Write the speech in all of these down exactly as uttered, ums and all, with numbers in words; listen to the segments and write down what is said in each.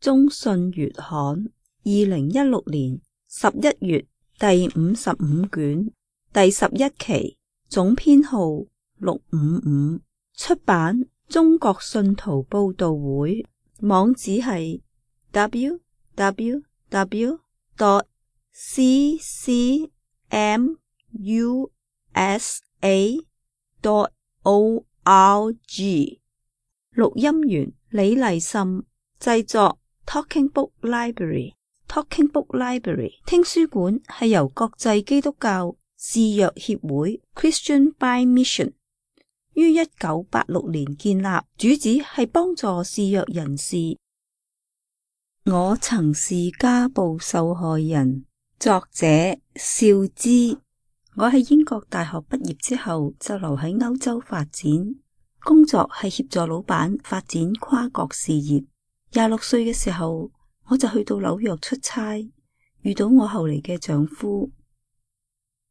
中信月刊二零一六年十一月第五十五卷第十一期，總編號六五五，出版中國信徒報道會，網址係 double-u double-u double-u 點 c c m u s a 點 o r g。 錄音員李麗岑，製作 Talking Book Library。 Talking Book Library 聽書館係由國際基督教視約協會 Christian by Mission 於一九八六年建立，主旨係幫助視約人士。我曾是家暴受害人，作者邵之。我喺英國大學畢業之後就留喺歐洲發展，工作係協助老闆發展跨國事業。廿六歲嘅時候，我就去到紐約出差，遇到我後嚟嘅丈夫。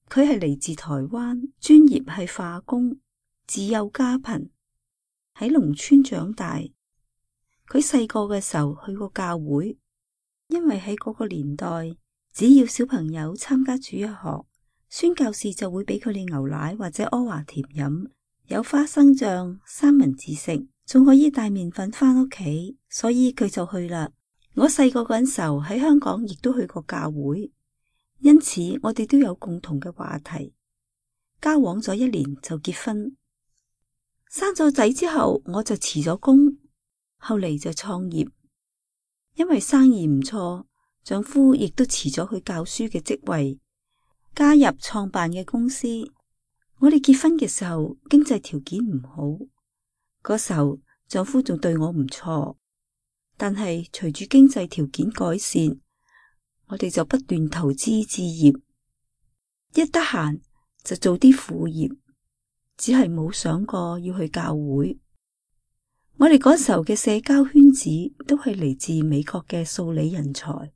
佢係嚟自台灣，專業係化工，自幼家貧，喺農村長大。佢細個嘅時候去過教會，因為喺嗰個年代，只要小朋友參加主日學，宣教士就會俾佢哋牛奶或者阿華田飲，有花生醬、三文治食，仲可以帶麵粉返屋企，所以佢就去啦。我細個嗰陣時候喺香港亦都去過教會，因此我哋都有共同嘅話題。交往咗一年就結婚，生咗仔之後我就辭咗工，後嚟就創業。因為生意唔錯，丈夫亦都辭咗佢教書嘅職位，加入創辦嘅公司。我哋結婚嘅時候經濟條件唔好，嗰時候丈夫仲對我唔錯，但係隨住經濟條件改善，我哋就不斷投資置業，一得閒就做啲副業，只係冇想過要去教會。我哋嗰時候嘅社交圈子都係嚟自美國嘅數理人才，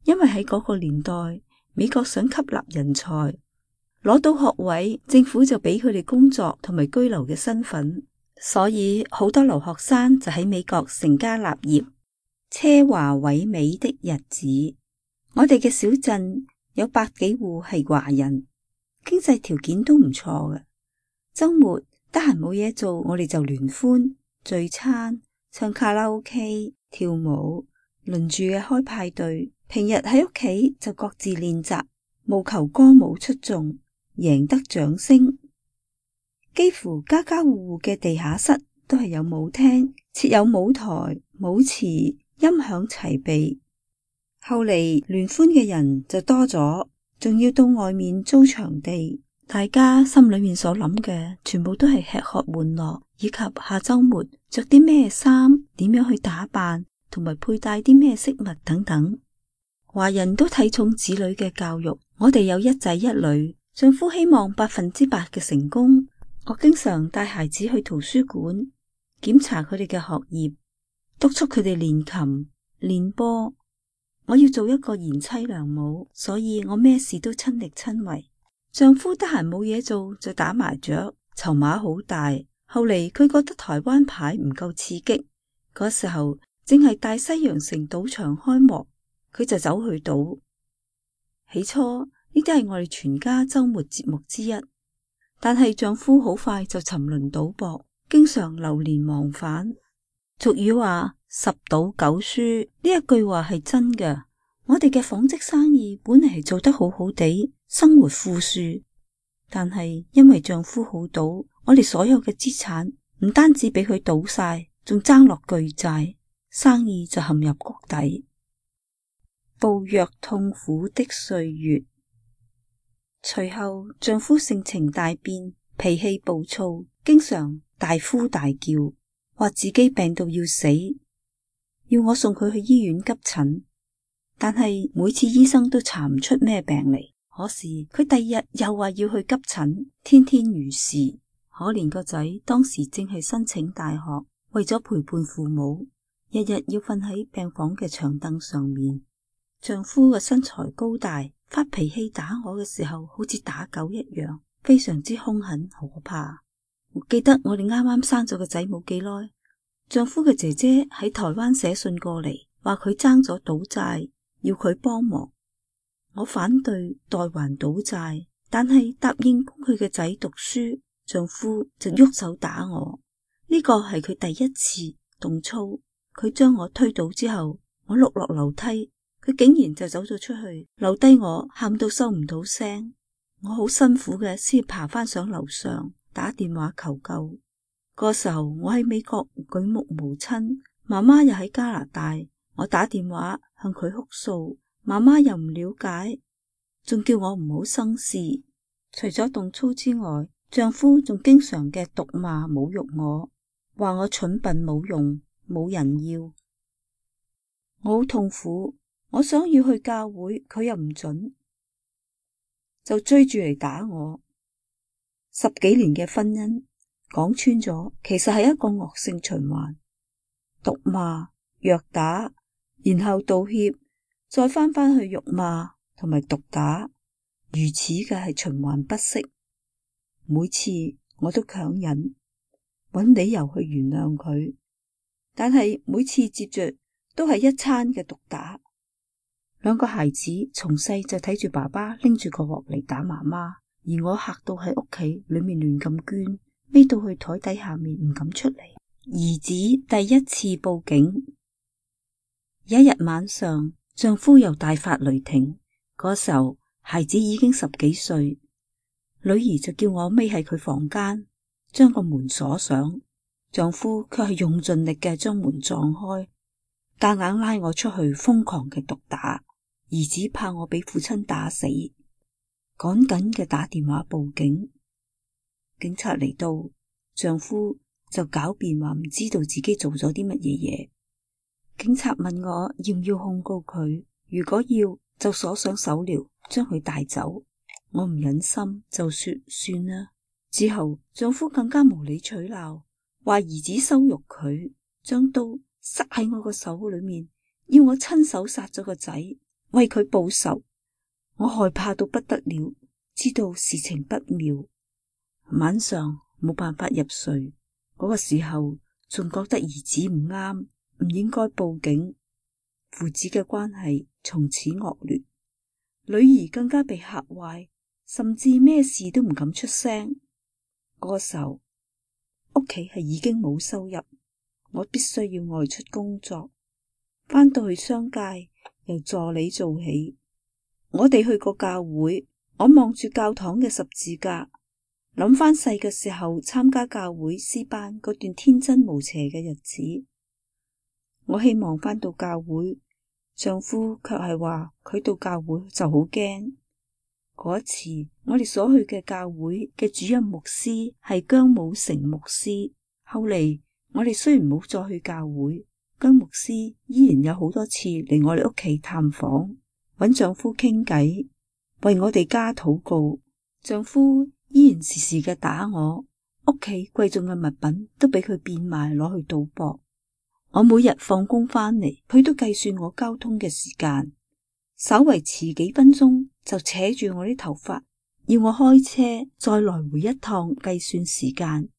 因為喺嗰個年代，美國想吸納人才，攞到學位，政府就俾佢哋工作同埋居留嘅身份，所以好多留學生就喺美國成家立業，奢華萎靡的日子。我哋嘅小鎮有百幾戶係華人，經濟條件都唔錯嘅。周末得閒冇嘢做，我哋就聯歡聚餐、唱卡拉 OK、跳舞，輪住嘅開派對。平日喺屋企就各自練習，務求歌舞出眾，贏得掌聲。幾乎家家戶戶嘅地下室都係有舞廳，設有舞台、舞池，音響齊備。後嚟聯歡嘅人就多咗，仲要到外面租場地。大家心裏面所諗嘅全部都係吃喝玩樂，以及下周末着啲咩衫，點樣去打扮，同埋佩戴啲咩飾物等等。華人都睇重子女嘅教育，我哋有一仔一女，丈夫希望百分之百嘅成功。我經常帶孩子去圖書館檢查佢哋嘅學業，督促佢哋練琴、練波。我要做一個賢妻良母，所以我咩事都親力親為。丈夫得閒冇嘢做就打麻雀，籌碼好大。後嚟佢覺得台灣牌唔夠刺激，嗰時候正係大西洋城賭場開幕，佢就走去賭。起初呢啲係我哋全家周末節目之一，但係丈夫好快就沉淪賭博，經常流連忘返。俗語話十賭九輸，呢一句話係真嘅。我哋嘅紡織生意本嚟係做得好好地，生活富庶，但係因為丈夫好賭，我哋所有嘅資產唔單止俾佢賭晒，仲爭落巨債，生意就陷入谷底。暴虐痛苦的歲月。隨後丈夫性情大變，脾氣暴躁，經常大呼大叫，話自己病到要死，要我送佢去醫院急診。但係每次醫生都查唔出咩病嚟，可是佢第二日又話要去急診，天天如是。可憐個仔當時正係申請大學，為咗陪伴父母，日日要瞓喺病房嘅長凳上面。丈夫嘅身材高大，發脾氣打我嘅時候好似打狗一樣，非常之兇狠可怕。我記得我哋啱啱生咗個仔冇幾耐，丈夫嘅姐姐喺台灣寫信過嚟，話佢爭咗賭債，要佢幫忙。我反對代還賭債，但係答應供佢嘅仔讀書，丈夫就喐手打我。呢個係佢第一次動粗。佢將我推倒之後，我碌落樓梯，佢竟然就走咗出去，留低我喊到收唔到聲。我好辛苦嘅先爬翻上樓上，打電話求救。嗰時候我喺美國舉目無親，媽媽又喺加拿大，我打電話向佢哭訴，媽媽又唔了解，仲叫我唔好生事。除咗動粗之外，丈夫仲經常嘅毒罵侮辱我，話我蠢笨冇用，冇人要。我好痛苦，我想要去教會，佢又唔准，就追住嚟打我。十幾年嘅婚姻講穿咗，其實係一個惡性循環，毒罵、虐打，然後道歉，再翻返去辱罵同埋毒打，如此嘅係循環不息。每次我都強忍，揾理由去原諒佢，但係每次接着都係一餐嘅毒打。兩個孩子從細就睇住爸爸拎住個鑊嚟打媽媽，而我嚇到喺屋企裏面亂咁捐，匿到去台底下面唔敢出嚟。兒子第一次報警。有一日晚上，丈夫又大發雷霆，嗰時候孩子已經十幾歲，女兒就叫我匿喺佢房間，將個門鎖上，丈夫卻係用盡力嘅將門撞開，夾硬拉我出去瘋狂嘅毒打。兒子怕我俾父親打死，趕緊嘅打電話報警。警察嚟到，丈夫就狡辯話唔知道自己做咗啲乜嘢嘢。警察問我要唔要控告佢，如果要就鎖上手鐐將佢帶走。我唔忍心就說算啦。之後丈夫更加無理取鬧，話兒子羞辱佢，將刀塞喺我個手裏面，要我親手殺咗個仔，為佢報仇。我害怕到不得了，知道事情不妙，晚上冇辦法入睡。嗰個時候仲覺得兒子唔啱，唔應該報警。父子嘅關係從此惡劣，女兒更加被嚇壞，甚至咩事都唔敢出聲。嗰個時候屋企係已經冇收入，我必須要外出工作，返到去商界由助理做起。我哋去過教會，我望住教堂嘅十字架，諗翻細嘅時候參加教會詩班嗰段天真無邪嘅日子。我希望返到教會，丈夫卻係話佢到教會就好驚。嗰一次我哋所去嘅教會嘅主任牧師係姜武成牧師，後嚟我哋雖然冇再去教會，姜牧師依然有好多次嚟我哋屋企探訪，搵丈夫傾偈，為我哋家禱告。丈夫依然時時嘅打我，屋企貴重嘅物品都俾佢變賣攞去賭博。我每日放工翻嚟，佢都計算我交通嘅時間，稍為遲幾分鐘就扯住我啲頭髮，要我開車再來回一趟計算時間，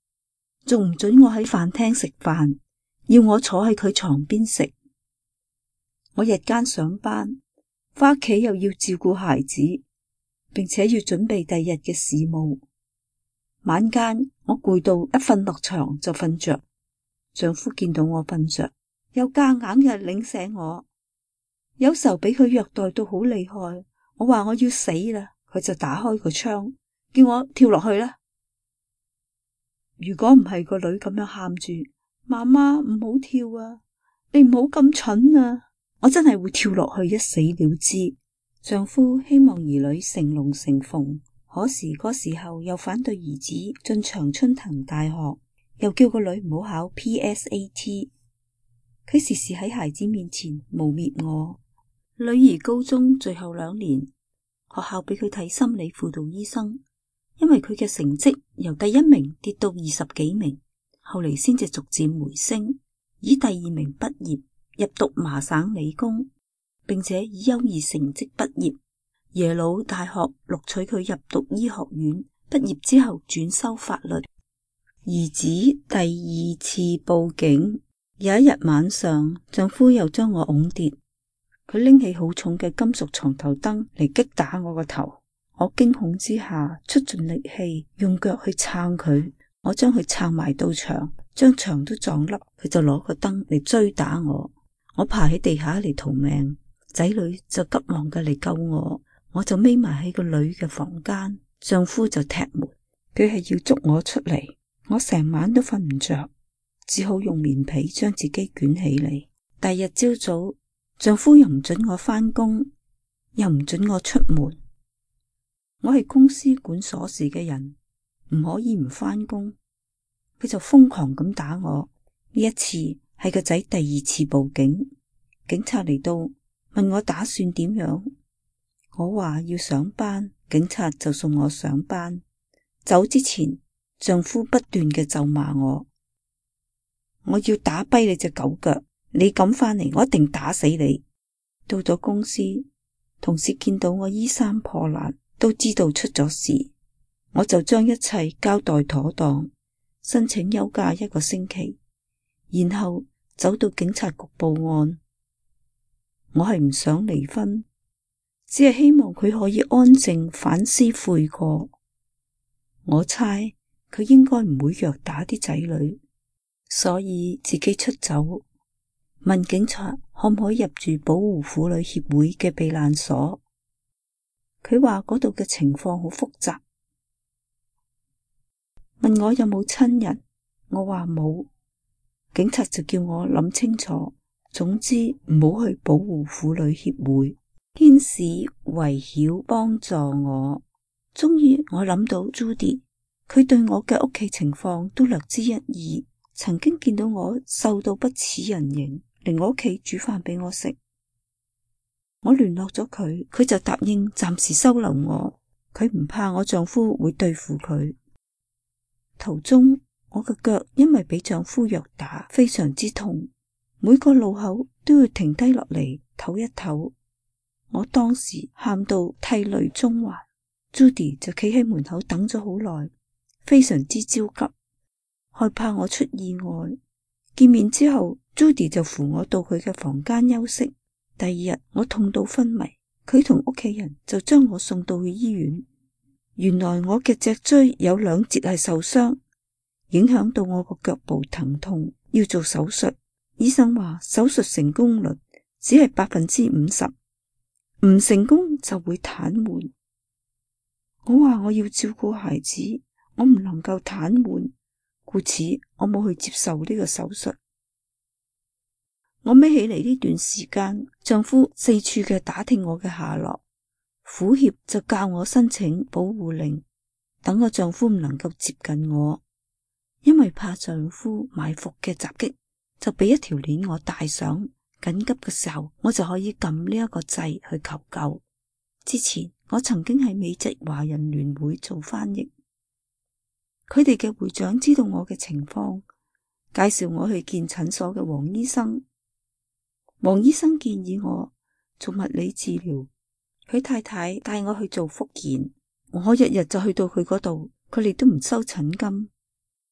仲唔准我喺飯廳食飯，要我坐喺佢床邊食。我日間上班，翻屋企又要照顧孩子，並且要準備第二日嘅事務。晚間我攰到一瞓落床就瞓着，丈夫見到我瞓着，又夾硬嘅擰醒我。有時候俾佢虐待到好厲害，我話我要死啦，佢就打開個窗，叫我跳落去啦。如果唔係個女咁樣喊住，媽媽唔好跳啊，你唔好咁蠢啊，我真係會跳落去一死了之。丈夫希望兒女成龍成鳳，可是嗰時候又反對兒子進常春藤大學，又叫個女唔好考 P S A T。 佢時時喺孩子面前誣衊我。女兒高中最後兩年，學校俾佢睇心理輔導醫生，因為佢嘅成績由第一名跌到二十幾名，後嚟先至逐漸回升，以第二名畢業，入讀麻省理工，並且以優異成績畢業。耶魯大學錄取佢入讀醫學院，畢業之後轉修法律。兒子第二次報警。有一日晚上，丈夫又將我拱跌，佢拎起好重嘅金屬床頭燈嚟擊打我個頭。我驚恐之下出盡力氣，用腳去撐佢。我將佢撐埋到牆，將牆都撞凹，佢就攞個燈嚟追打我。我爬喺地下嚟逃命，仔女就急忙嘅嚟救我。我就匿埋喺個女嘅房間，丈夫就踢門，佢係要捉我出嚟。我成晚都瞓唔着，只好用棉被將自己捲起嚟。第二日朝早，丈夫又唔准我返工，又唔准我出門。我係公司管鎖匙嘅人，唔可以唔返工。佢就瘋狂咁打我。呢一次係個仔第二次報警，警察嚟到問我打算點樣。我話要上班，警察就送我上班。走之前，丈夫不斷嘅咒罵我，我要打跛你隻狗腳，你敢返嚟，我一定打死你。到咗公司，同事見到我衣衫破爛，都知道出咗事，我就將一切交代妥當，申請休假一個星期，然後走到警察局報案。我係唔想離婚，只係希望佢可以安靜反思悔過。我猜佢應該唔會虐打啲仔女，所以自己出走，問警察可唔可以入住保護婦女協會嘅避難所。佢話嗰度嘅情況好複雜，問我有冇親人，我話冇。警察就叫我諗清楚，總之唔好去保護婦女協會。天使圍繞幫助我，終於我諗到 Judy， 佢對我嘅屋企情況都略知一二，曾經見到我瘦到不似人形，嚟我屋企煮飯俾我食。我聯絡咗佢，佢就答應暫時收留我。佢唔怕我丈夫會對付佢。途中我嘅腳因為俾丈夫虐打，非常之痛，每個路口都要停低落嚟唞一唞。我當時喊到涕淚縱橫， Judy 就企喺門口等咗好耐，非常之焦急，害怕我出意外。見面之後， Judy 就扶我到佢嘅房間休息。第二日我痛到昏迷，佢同屋企人就將我送到去醫院。原來我嘅脊椎有兩節係受傷，影響到我個腳部疼痛，要做手術。醫生話手術成功率只係百分之五十，唔成功就會癱瘓。我話我要照顧孩子，我唔能夠癱瘓，故此我冇去接受呢個手術。我孭起嚟呢段時間，丈夫四處嘅打聽我嘅下落，婦協就教我申請保護令，等我丈夫唔能夠接近我，因為怕丈夫埋伏嘅襲擊，就俾一條鏈我戴上，緊急嘅時候我就可以撳呢一個掣去求救。之前我曾經喺美籍華人聯會做翻譯，佢哋嘅會長知道我嘅情況，介紹我去見診所嘅黃醫生。黃醫生建議我做物理治療，佢太太帶我去做復健。我日日就去到佢嗰度，佢哋都唔收診金。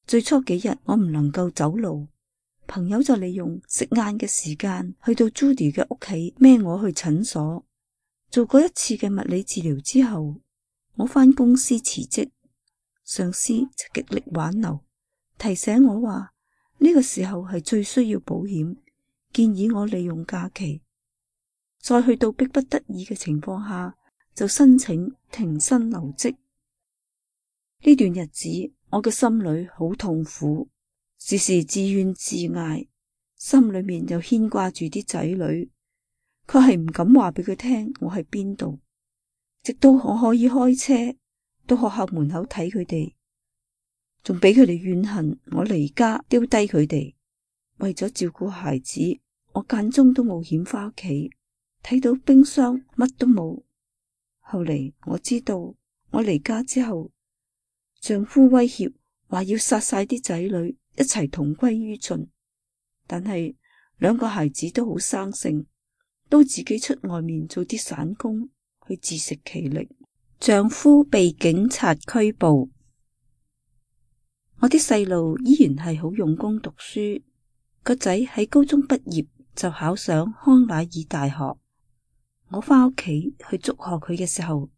最初幾日我唔能夠走路，朋友就利用食晏嘅時間去到 Judy 嘅屋企孭我去診所。做過一次嘅物理治療之後，我返公司辭職，上司就極力挽留，提醒我話呢個時候係最需要保險，建議我利用假期。再去到逼不得已嘅情況下，就申請停薪留職。呢段日子我嘅心裏好痛苦，時時自怨自艾，心裏面又牽掛住啲仔女，佢係唔敢話俾佢聽我喺邊度。直到我可以開車到學校門口睇佢哋，仲俾佢哋怨恨我離家丟低佢哋。為咗照顧孩子，我間中都冒險返屋企，睇到冰箱乜都冇。後嚟我知道我離家之後，丈夫威脅話要殺晒啲仔女，一齊同歸於盡。但係兩個孩子都好生性，都自己出外面做啲散工去自食其力。丈夫被警察拘捕，我啲細路依然係好用功讀書。個仔喺高中畢業就考上康乃爾大學。我返屋企去祝賀佢嘅時候，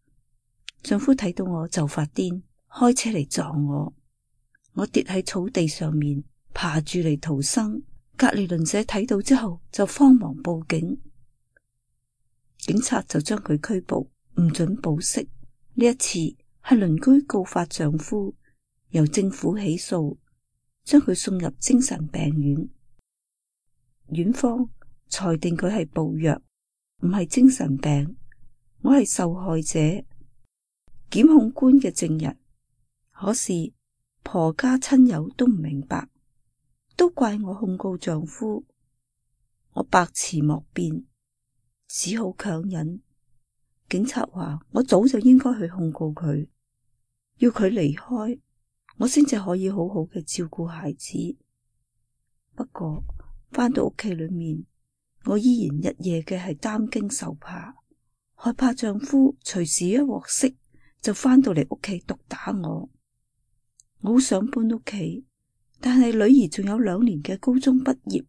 丈夫睇到我就發癲，開車嚟撞我，我跌喺草地上面，爬住嚟逃生。隔籬鄰舍睇到之後就慌忙報警，警察就將佢拘捕，唔准保釋。呢一次係鄰居告發丈夫，由政府起訴，將佢送入精神病院。院方裁定佢係暴虐，唔係精神病。我係受害者，檢控官嘅證人。可是婆家親友都唔明白，都怪我控告丈夫。我百詞莫辯，只好強忍。警察話我早就應該去控告佢，要佢離開，我先至可以好好嘅照顧孩子。不過返到屋企裏面，我依然日夜嘅係擔驚受怕，害怕丈夫隨時一獲釋就返到嚟屋企毒打我。我好想搬屋企，但係女兒仲有兩年嘅高中畢業，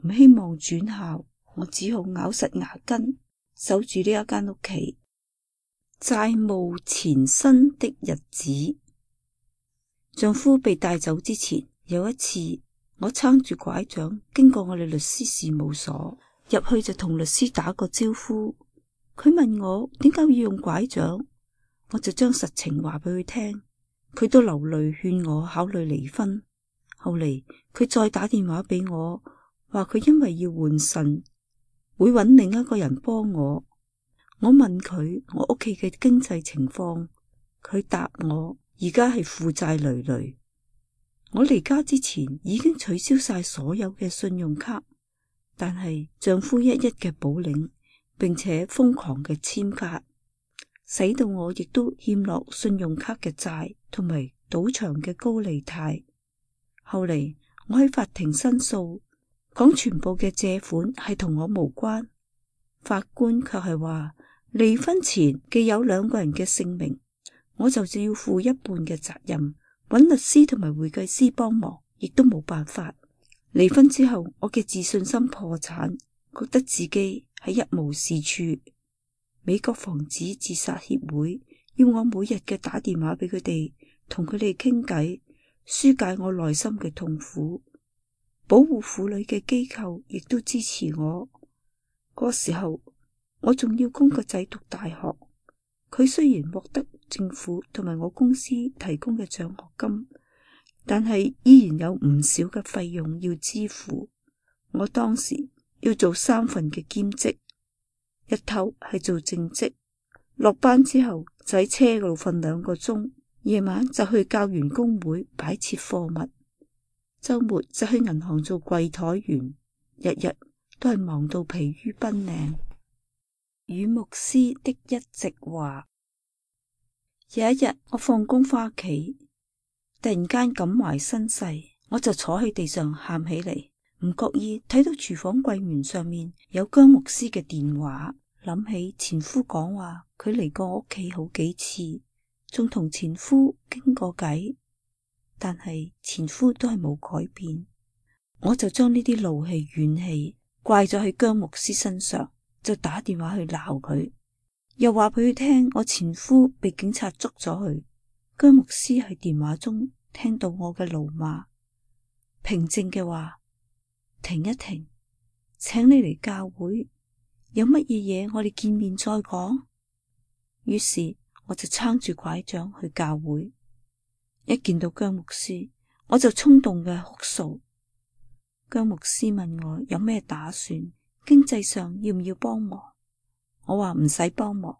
唔希望轉校，我只好咬實牙根守住呢一間屋企。債務纏身的日子。丈夫被帶走之前，有一次我撐住拐杖經過我哋律師事務所，入去就同律師打個招呼。佢問我點解要用拐杖，我就將實情話俾佢聽。佢都流淚勸我考慮離婚。後嚟佢再打電話俾我，話佢因為要換腎，會揾另一個人幫我。我問佢我屋企嘅經濟情況，佢答我而家係負債累累。我離家之前已經取消晒所有嘅信用卡，但係丈夫一一嘅補領，並且瘋狂嘅簽卡，使到我亦都欠落信用卡嘅債同埋賭場嘅高利貸。後嚟我喺法庭申訴，講全部嘅借款係同我無關，法官卻係話離婚前既有兩個人嘅姓名，我就只要負一半嘅責任，揾律師同埋會計師幫忙亦都冇辦法。離婚之後，我嘅自信心破產，覺得自己係一無是處。美國防止自殺協會要我每日嘅打電話俾佢哋，同佢哋傾偈，紓解我內心嘅痛苦。保護婦女嘅機構亦都支持我。嗰時候我仲要供個仔讀大學，佢雖然獲得政府同埋我公司提供嘅獎學金，但係依然有唔少嘅費用要支付。我當時要做三份嘅兼職，日頭係做正職，落班之後就喺車嗰度瞓兩個鐘，夜晚就去教員工會擺設貨物，周末就去銀行做櫃台員，日日都係忙到疲於奔命。與牧師的一席話。有一日我放工返屋企，突然間感懷身世，我就坐喺地上喊起嚟，唔覺意睇到廚房櫃門上面有姜牧師嘅電話，諗起前夫講話佢嚟過我屋企好幾次，仲同前夫傾過偈，但係前夫都係冇改變。我就將呢啲怒氣怨氣怪咗喺姜牧師身上，就打電話去鬧佢，又話俾佢聽我前夫被警察捉咗去。姜牧師喺電話中聽到我嘅怒罵，平靜嘅話：停一停，請你嚟教會，有乜嘢嘢我哋見面再講。於是我就撐住拐杖去教會，一見到姜牧師我就衝動嘅哭訴。姜牧師問我有咩打算，經濟上要唔要幫忙。我話唔使幫忙，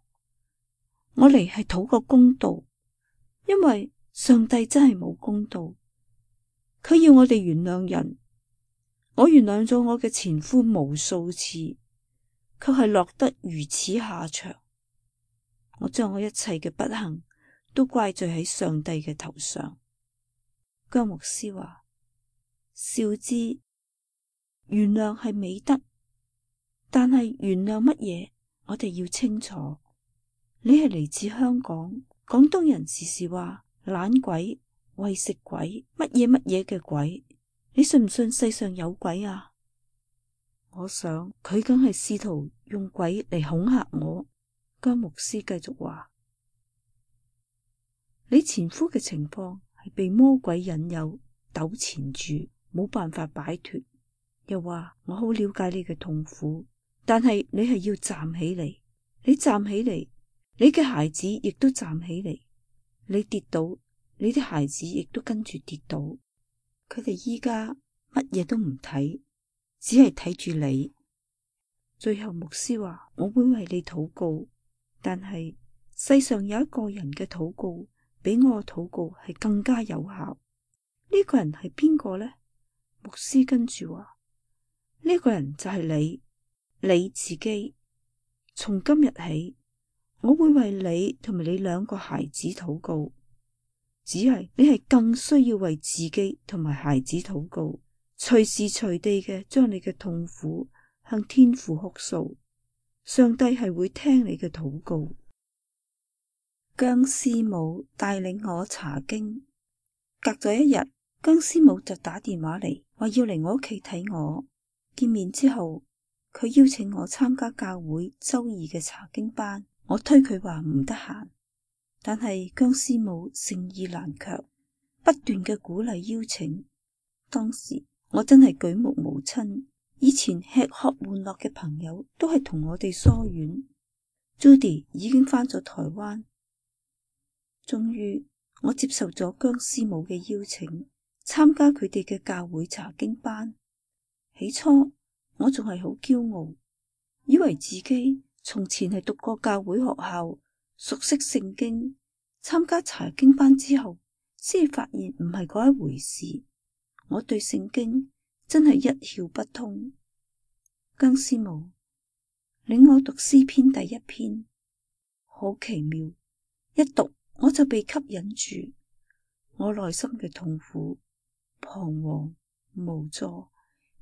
我嚟係討個公道，因為上帝真係冇公道，佢要我哋原諒人。我原諒咗我嘅前夫無數次，卻係落得如此下場。我將我一切嘅不幸都怪罪喺上帝嘅頭上。姜牧師話：少知原諒係美德，但係原諒乜嘢，我哋要清楚。你係嚟自香港，廣東人時時話懶鬼、餵食鬼，乜嘢乜嘢嘅鬼，你信唔信世上有鬼啊？我想佢梗係試圖用鬼嚟恐嚇我。姜牧師繼續話：你前夫嘅情況係被魔鬼引誘糾纏住，冇辦法擺脫。又話我好了解你嘅痛苦，但係你係要站起嚟。你站起嚟，你嘅孩子亦都站起嚟。你跌倒，你啲孩子亦都跟住跌倒。佢哋依家乜嘢都唔睇，只係睇住你。最後牧師話：我會為你禱告，但係世上有一個人嘅禱告比我嘅禱告係更加有效。呢個人係邊個呢？牧師跟住話：呢個人就係你，你自己。從今日起，我會為你同埋你兩個孩子禱告。只係你係更需要為自己同埋孩子禱告，隨時隨地嘅將你嘅痛苦向天父哭訴，上帝係會聽你嘅禱告。姜師母帶領我查經，隔咗一日，姜師母就打電話嚟，話要嚟我屋企睇我。見面之後，佢邀請我參加教會周二嘅查經班，我推佢話唔得閒，但係姜師母誠意難卻，不斷嘅鼓勵邀請。當時我真係舉目無親，以前吃喝玩樂嘅朋友都係同我哋疏遠。Judy 已經返咗台灣。終於我接受咗姜師母嘅邀請，參加佢哋嘅教會查經班。起初我仲係好驕傲，以為自己從前係讀過教會學校，熟悉聖經。參加查經班之後，先發現唔係嗰一回事。我對聖經真係一竅不通。姜師母領我讀詩篇第一篇，好奇妙，一讀我就被吸引住。我內心嘅痛苦、彷徨、無助，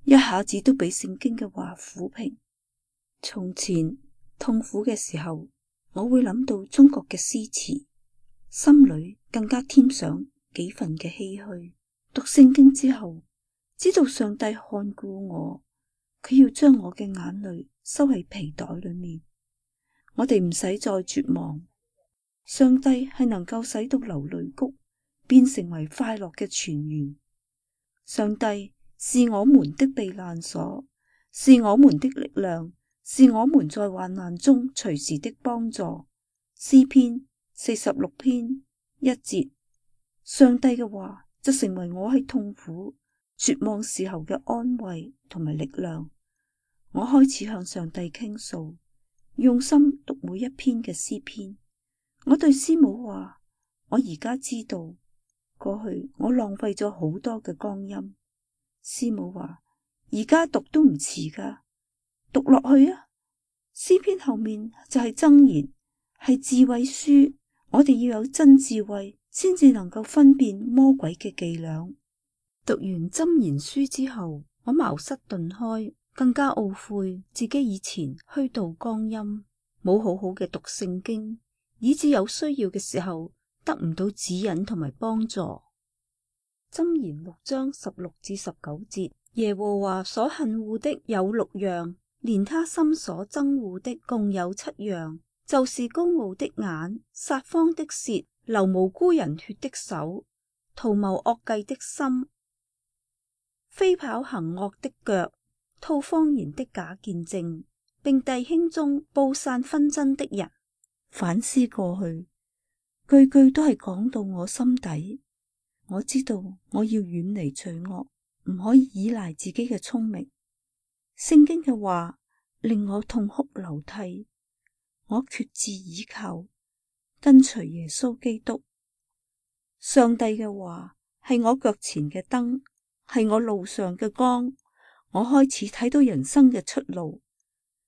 一下子都被聖經嘅話撫平。從前痛苦嘅時候，我會諗到中國嘅詩詞，心裏更加添上幾分嘅唏噓。讀聖經之後，知道上帝看顧我，佢要將我嘅眼淚收喺皮袋裏面。我哋唔使再絕望，上帝係能夠使到流淚谷變成為快樂嘅泉源。上帝是我們的避難所，是我們的力量，是我們在患難中隨時的幫助。詩篇四十六篇一節。上帝嘅話就成為我喺痛苦絕望時候嘅安慰同埋力量。我開始向上帝傾訴，用心讀每一篇嘅詩篇。我對師母話：我而家知道過去我浪費咗好多嘅光陰。師母話：而家讀都唔遲噶，讀落去啊！詩篇後面就係箴言，係智慧書。我哋要有真智慧，先至能夠分辨魔鬼嘅伎倆。讀完箴言書之後，我茅塞頓開，更加懊悔自己以前虛度光陰，冇好好嘅讀聖經，以致有需要嘅時候得唔到指引同埋幫助。箴言六章十六至十九節，耶和華所恨惡的有六樣，連他心所憎惡的共有七樣，就是高傲的眼、撒謊的舌、流無辜人血的手、圖謀惡計的心、飛跑行惡的腳、吐謊言的假見證，並弟兄中布散紛爭的人。反思過去，句句都係講到我心底。我知道我要遠離罪惡，唔可以依賴自己嘅聰明。聖經嘅話令我痛哭流涕，我決志倚靠，跟隨耶穌基督。上帝嘅話係我腳前嘅燈，係我路上嘅光。我開始睇到人生嘅出路。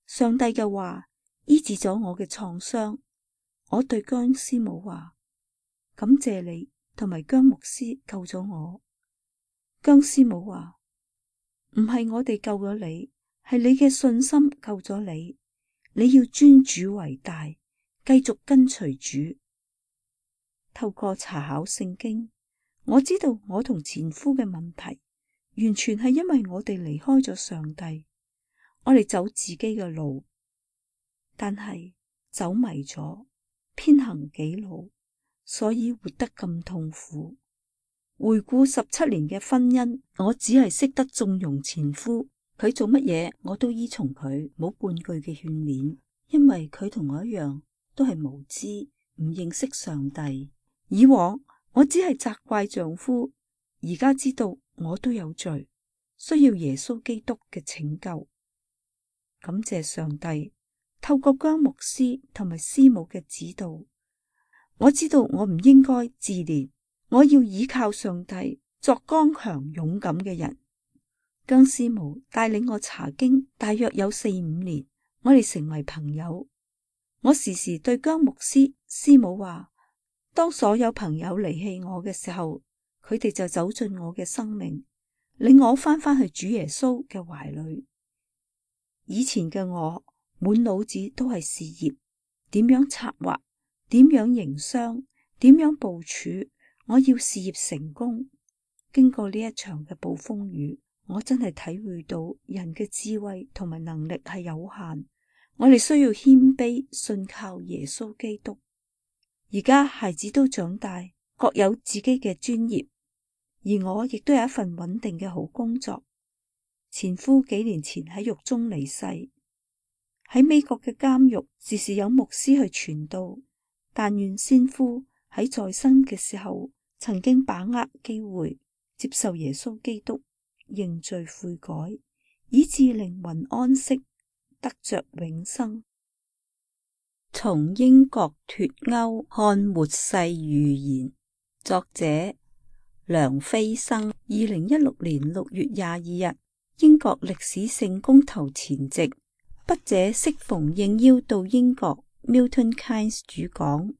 上帝嘅話醫治咗我嘅創傷。我對姜師母話：感謝你同埋姜牧師救咗我。姜師母話：唔係我哋救咗你，係你嘅信心救咗你。你要尊主為大，繼續跟隨主。透過查考聖經，我知道我同前夫嘅問題完全係因為我哋離開咗上帝，我哋走自己嘅路，但係走迷咗，偏行己路，所以活得咁痛苦。回顧十七年嘅婚姻，我只係識得縱容前夫，佢做乜嘢我都依從佢，冇半句嘅勸勉，因為佢同我一樣都係無知，唔認識上帝。以往我只係責怪丈夫，而家知道我都有罪，需要耶穌基督嘅拯救。感謝上帝，透過姜牧師同埋師母嘅指導，我知道我唔應該自憐，我要依靠上帝，作剛強勇敢嘅人。姜師母帶領我查經大約有四五年，我哋成為朋友。我時時對姜牧師師母話，當所有朋友離棄我嘅時候，佢哋就走進我嘅生命，令我翻返去主耶穌嘅懷裏。以前嘅我滿腦子都係事業，點樣策劃，點樣營商，點樣部署，我要事業成功。經過呢一場嘅暴風雨，我真係體會到人嘅智慧同埋能力係有限，我哋需要謙卑信靠耶穌基督。而家孩子都長大，各有自己嘅專業，而我亦都有一份穩定嘅好工作。前夫幾年前喺獄中離世，喺美國嘅監獄時時有牧師去傳道，但願先夫喺在生嘅時候曾經把握機會接受耶穌基督，認罪悔改，以致靈魂安息，得着永生。從英國脫歐看末世預言，作者梁飛生。二零一六年六月廿二日，英國歷史性公投前夕，筆者適逢應邀到英國 Milton Keynes 主講，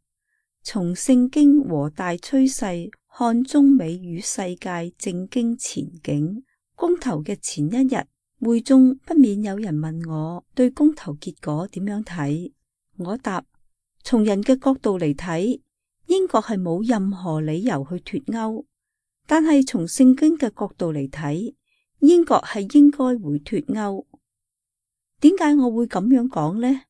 從聖經和大趨勢看中美與世界政經前景。公投嘅前一日，會中不免有人問我對公投結果點樣睇。我答：從人嘅角度嚟睇，英國係冇任何理由去脫歐，但係從聖經嘅角度嚟睇，英國係應該會脫歐。點解我會咁樣講呢？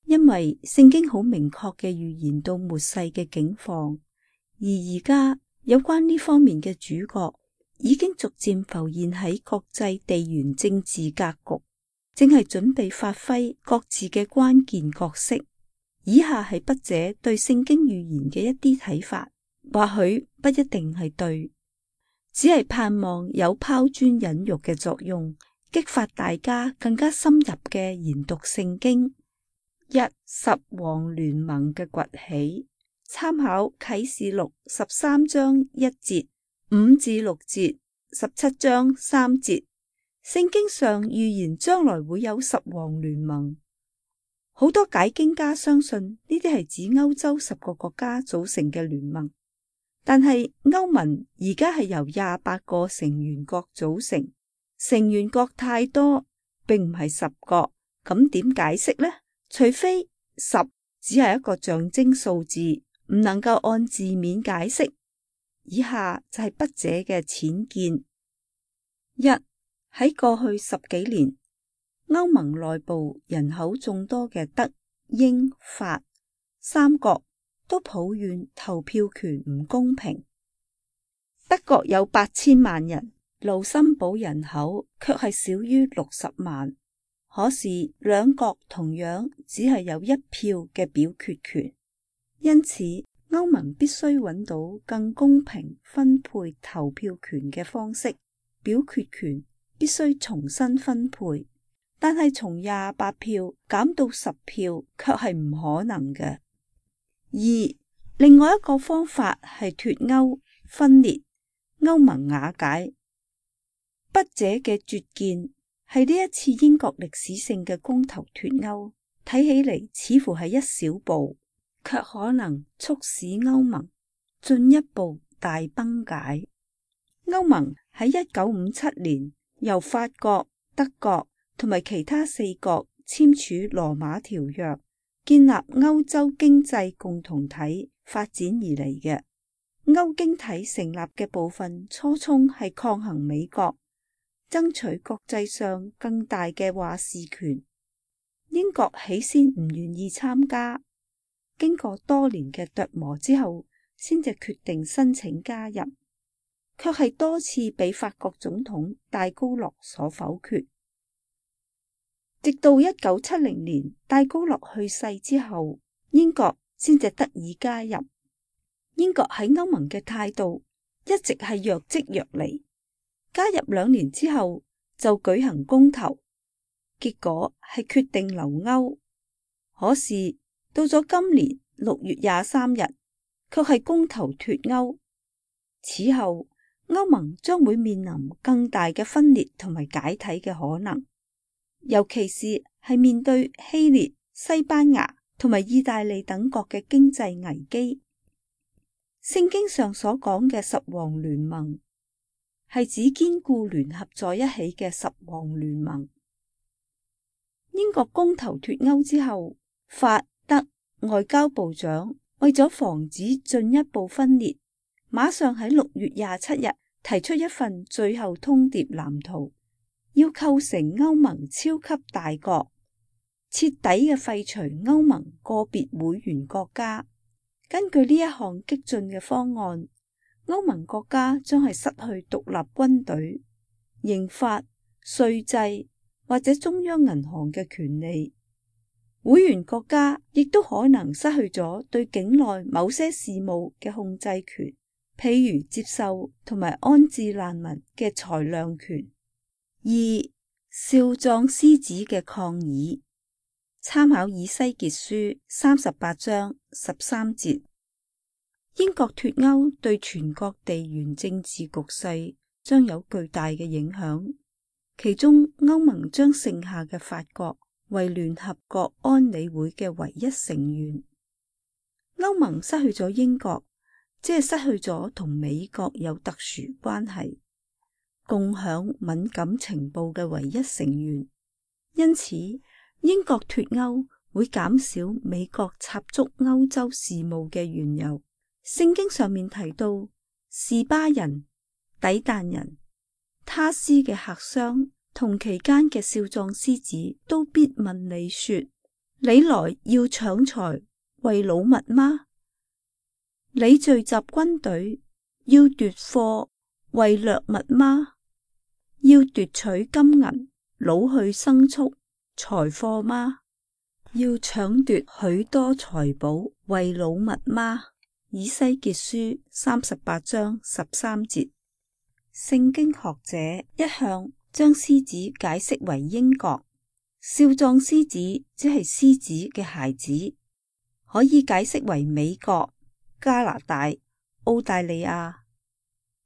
因為聖經好明確嘅預言到末世嘅境況，而而家有關呢方面嘅主角已經逐漸浮現喺國際地緣政治格局，正係準備發揮各自嘅關鍵角色。以下係筆者對聖經預言嘅一啲睇法，或許不一定係對，只係盼望有拋磚引玉嘅作用，激發大家更加深入嘅研讀聖經。一、十王聯盟嘅崛起，參考啟示錄十三章一節、五至六節、十七章三節。聖經上預言將來會有十王聯盟，好多解經家相信呢啲係指歐洲十個國家組成嘅聯盟，但係歐盟而家係由廿八個成員國組成，成員國太多，並唔係十個，咁點解釋呢？除非十只係一個象徵數字，唔能夠按字面解釋。以下就係筆者嘅淺見。一、喺過去十幾年，歐盟內部人口眾多嘅德、英、法三國都抱怨投票權唔公平。德國有八千萬人，盧森堡人口卻係少於六十萬，可是兩國同樣只係有一票嘅表決權，因此歐盟必須揾到更公平分配投票權嘅方式，表決權必須重新分配。但係從廿八票減到十票卻係唔可能嘅。二、另外一個方法係脫歐分裂，歐盟瓦解。筆者嘅拙見係呢一次英國歷史性嘅公投脫歐，睇起嚟似乎係一小步，卻可能促使歐盟進一步大崩解。歐盟喺一九五七年由法國、德國同埋其他四國簽署羅馬條約，建立歐洲經濟共同體發展而嚟嘅。歐經體成立嘅部分初衷係抗衡美國，爭取國際上更大嘅話事權。英國起先唔願意參加，經過多年嘅琢磨之後，先至決定申請加入，卻係多次被法國總統戴高樂所否決。直到一九七零年戴高樂去世之後，英國先至得以加入。英國喺歐盟嘅態度一直係若即若離，加入兩年之後就舉行公投，結果係決定留歐。可是到咗今年六月廿三日，卻係公投脫歐。此後歐盟將會面臨更大嘅分裂同埋解體嘅可能，尤其是係面對希臘、西班牙同埋意大利等國嘅經濟危機。聖經上所講嘅十王聯盟，係指堅固聯合在一起嘅十王聯盟。英國公投脫歐之後，法德外交部長為咗防止進一步分裂，馬上喺六月廿七日提出一份最後通牒藍圖，要構成歐盟超級大國，徹底嘅廢除歐盟個別會員國家。根據呢一項激進嘅方案，歐盟國家將係失去獨立軍隊、刑法、稅制或者中央銀行嘅權利。會員國家亦都可能失去咗對境內某些事務嘅控制權，譬如接受同埋安置難民嘅裁量權。二、少壯獅子嘅抗議，參考以西結書三十八章十三節。英國脫歐對全國地緣政治局勢將有巨大嘅影響，其中歐盟將剩下嘅法國為聯合國安理會嘅唯一成員。歐盟失去咗英國，即係失去咗同美國有特殊關係、共享敏感情報嘅唯一成員。因此，英國脫歐會減少美國插足歐洲事務嘅緣由。聖經上面提到，示巴人、底但人、他施嘅客商同期間嘅少壯獅子都必問你說：你來要搶財為擄物嗎？你聚集軍隊要奪貨為掠物嗎？要奪取金銀、擄去牲畜、財貨嗎？要搶奪許多財寶為擄物嗎？以西結書三十八章十三節。聖經學者一向將獅子解釋為英國，少壯獅子即係獅子嘅孩子，可以解釋為美國、加拿大、澳大利亞。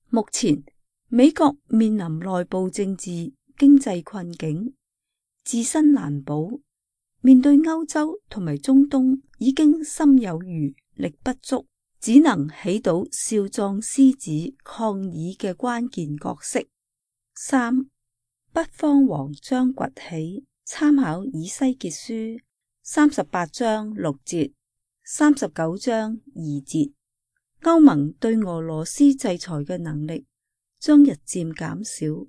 目前美國面臨內部政治經濟困境，自身難保，面對歐洲同埋中東已經心有餘力不足，只能起到少壯獅子抗議嘅關鍵角色。三、北方王將崛起，參考以西結書三十八章六節、三十九章二節。歐盟對俄羅斯制裁嘅能力將日漸減少。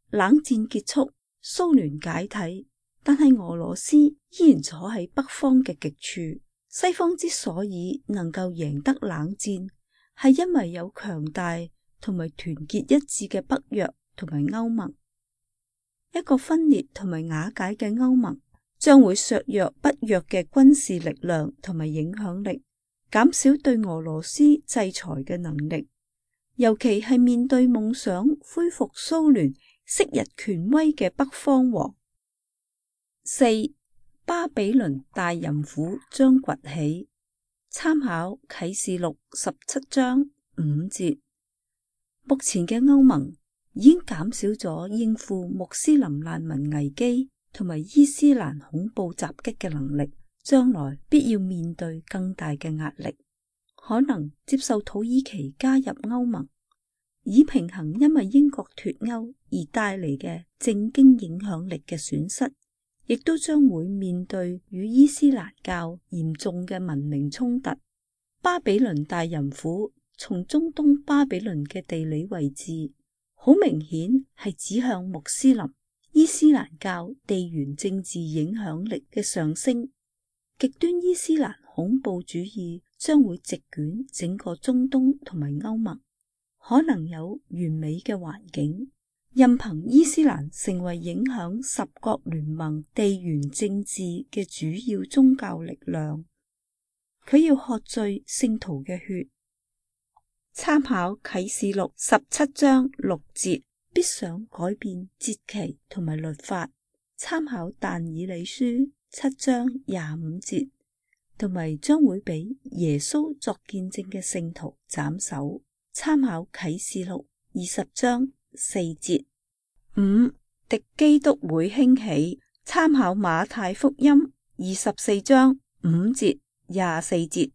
冷戰結束，蘇聯解體，但係俄羅斯依然坐喺北方嘅極處。西方之所以能夠贏得冷戰，係因為有強大同埋團結一致嘅北約同埋歐盟。一個分裂同埋瓦解嘅歐盟，將會削弱北約嘅軍事力量同埋影響力，減少對俄羅斯制裁嘅能力，尤其係面對夢想恢復蘇聯昔日權威嘅北方王。四、巴比倫大淫婦將崛起，參考啟示錄十七章五節。目前嘅歐盟已經減少咗應付穆斯林難民危機同埋伊斯蘭恐怖襲擊嘅能力，將來必要面對更大嘅壓力，可能接受土耳其加入歐盟，以平衡因為英國脫歐而帶嚟嘅政經影響力嘅損失。亦都將會面對與伊斯蘭教嚴重嘅文明衝突。巴比倫大淫婦從中東巴比倫嘅地理位置，好明顯係指向穆斯林、伊斯蘭教地緣政治影響力嘅上升。極端伊斯蘭恐怖主義將會席捲整個中東同埋歐盟，可能有完美嘅環境，任憑伊斯蘭成為影響十國聯盟地緣政治嘅主要宗教力量。佢要喝醉聖徒嘅血。參考啟示錄十七章六節，必想改變節期同埋律法。參考但以理書七章廿五節，同埋將會俾耶穌作見證嘅聖徒斬首。參考啟示錄二十章四節。五、敵基督會興起。參考馬太福音二十四章五節廿四節。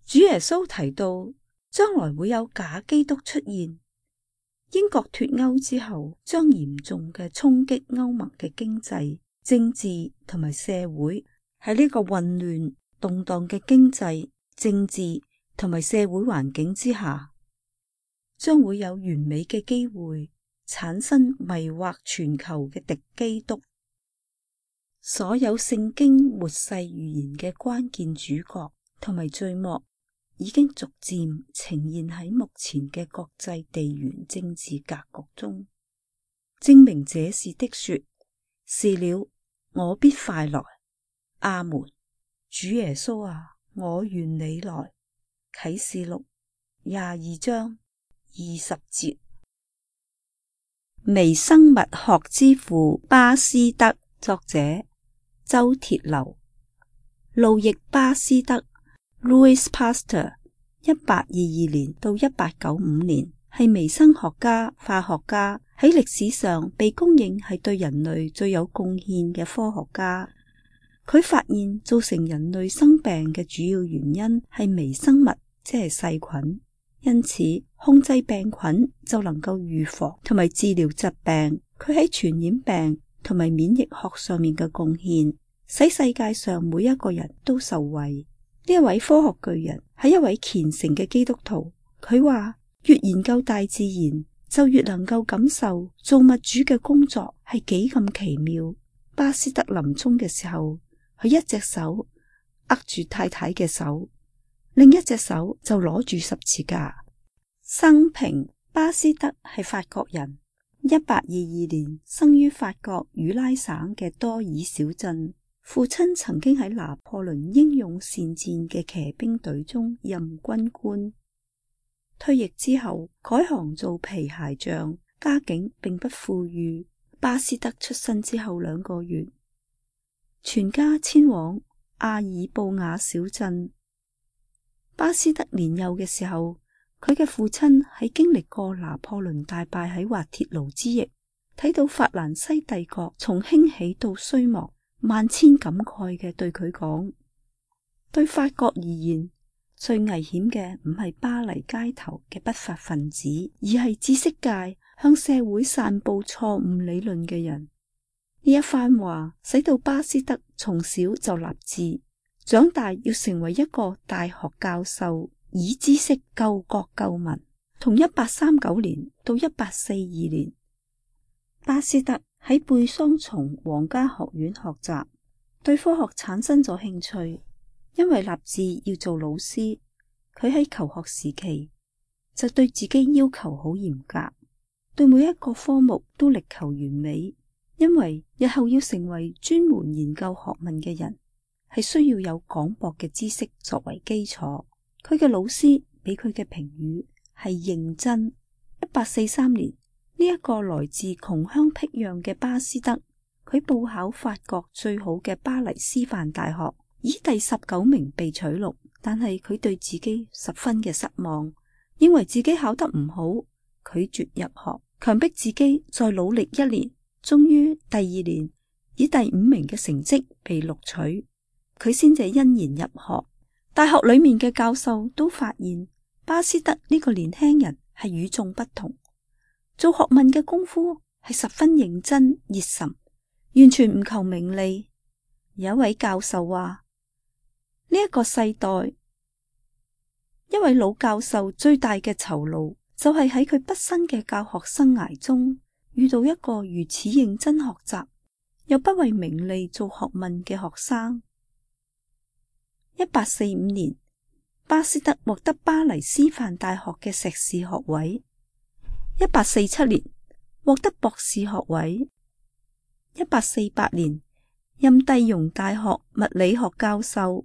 主耶穌提到將來會有假基督出現。英國脫歐之後，將嚴重嘅衝擊歐盟嘅經濟、政治同埋社會。喺呢個混亂動盪嘅經濟、政治同埋社會環境之下，將會有完美嘅機會產生迷惑全球嘅敵基督。所有聖經末世預言嘅關鍵主角同埋序幕已經逐漸呈現喺目前嘅國際地緣政治格局中，證明這是的說，是了，我必快來。阿門。主耶穌啊，我願你來。啟示錄廿二章二十節。微生物學之父巴斯德，作者周鐵流。路易巴斯德 Louis Pasteur 一八二二年到一八九五年，係微生學家、化學家，喺歷史上被公認係對人類最有貢獻嘅科學家。佢發現造成人類生病嘅主要原因係微生物，即係細菌。因此，控制病菌就能夠預防同埋治療疾病。佢喺傳染病同埋免疫學上面嘅貢獻，使世界上每一個人都受惠。呢一位科學巨人係一位虔誠嘅基督徒。佢話，越研究大自然，就越能夠感受造物主嘅工作係幾咁奇妙。巴斯德臨終嘅時候，佢一隻手握住太太嘅手，另一隻手就攞住十字架。生平，巴斯德係法國人，一八二二年生於法國與拉省嘅多爾小鎮。父親曾經喺拿破崙英勇善戰嘅騎兵隊中任軍官，退役之後改行做皮鞋匠，家境並不富裕。巴斯德出生之後兩個月，全家遷往阿爾布雅小鎮。巴斯德年幼嘅時候，佢嘅父親喺經歷過拿破崙大敗喺滑鐵盧之役，睇到法蘭西帝國從興起到衰亡，萬千感慨嘅對佢講：對法國而言，最危險嘅唔係巴黎街頭嘅不法分子，而係知識界向社會散布錯誤理論嘅人。呢一番話使到巴斯德從小就立志，長大要成為一個大學教授，以知識救國救民。從一八三九年到一八四二年，巴斯德喺貝桑松皇家學院學習，對科學產生咗興趣。因為立志要做老師，佢喺求學時期就對自己要求好嚴格，對每一個科目都力求完美。因為日後要成為專門研究學問嘅人，係需要有廣博嘅知識作為基礎。佢嘅老師俾佢嘅評語係認真。一八四三年，呢一個來自窮鄉僻壤嘅巴斯德，佢報考法國最好嘅巴黎師範大學，以第十九名被取錄。但係佢對自己十分嘅失望，認為自己考得唔好，拒絕入學，強迫自己再努力一年。終於第二年以第五名嘅成績被錄取，佢先至欣然入學。大學裏面嘅教授都發現巴斯德呢個年輕人係與眾不同，做學問嘅功夫係十分認真熱忱，完全唔求名利。有一位教授話，呢一個世代一位老教授最大嘅酬勞就係喺佢畢生嘅教學生涯中遇到一個如此認真學習又不為名利做學問嘅學生。一八四五年，巴斯德獲得巴黎師範大學嘅碩士學位。一八四七年獲得博士學位。一八四八年任第容大學物理學教授。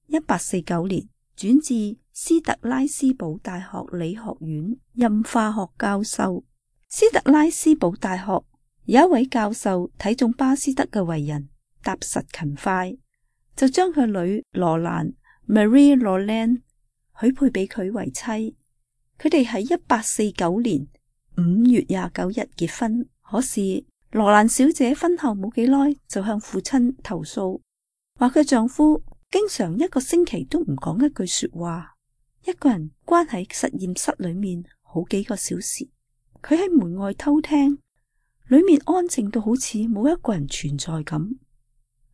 一八四九年轉至斯特拉斯堡大學理學院任化學教授。斯特拉斯堡大學有一位教授睇中巴斯德嘅為人踏實勤快，就將佢女羅蘭 Marie Roland 許配俾佢為妻。佢哋喺一八四九年五月廿九日結婚。可是羅蘭小姐婚後冇幾耐就向父親投訴，話佢丈夫經常一個星期都唔講一句說話，一個人關喺實驗室裏面好幾個小時。佢喺門外偷聽，裏面安靜到好似冇一個人存在咁。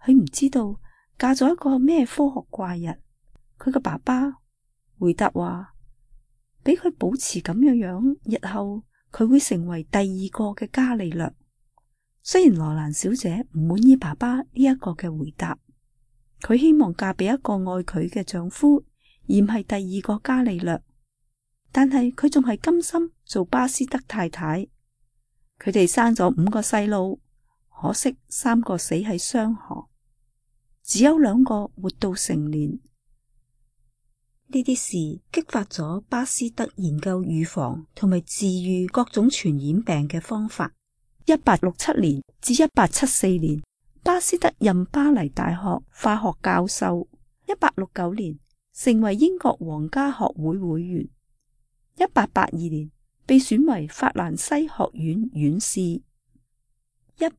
佢唔知道嫁咗一個咩科學怪人。佢個爸爸回答話，俾佢保持咁樣樣，日後佢會成為第二個嘅伽利略。雖然羅蘭小姐唔滿意爸爸呢一個嘅回答，佢希望嫁俾一個愛佢嘅丈夫，而唔係第二個伽利略，但係佢仲係甘心做巴斯德太太。佢哋生咗五個細路，可惜三個死喺霜河，只有兩個活到成年。呢啲事激發咗巴斯德研究預防同埋治癒各種傳染病嘅方法。一八六七年至一八七四年，巴斯德任巴黎大學化學教授。一八六九年成為英國皇家學會會員。一八八二年被選為法蘭西學院院士。一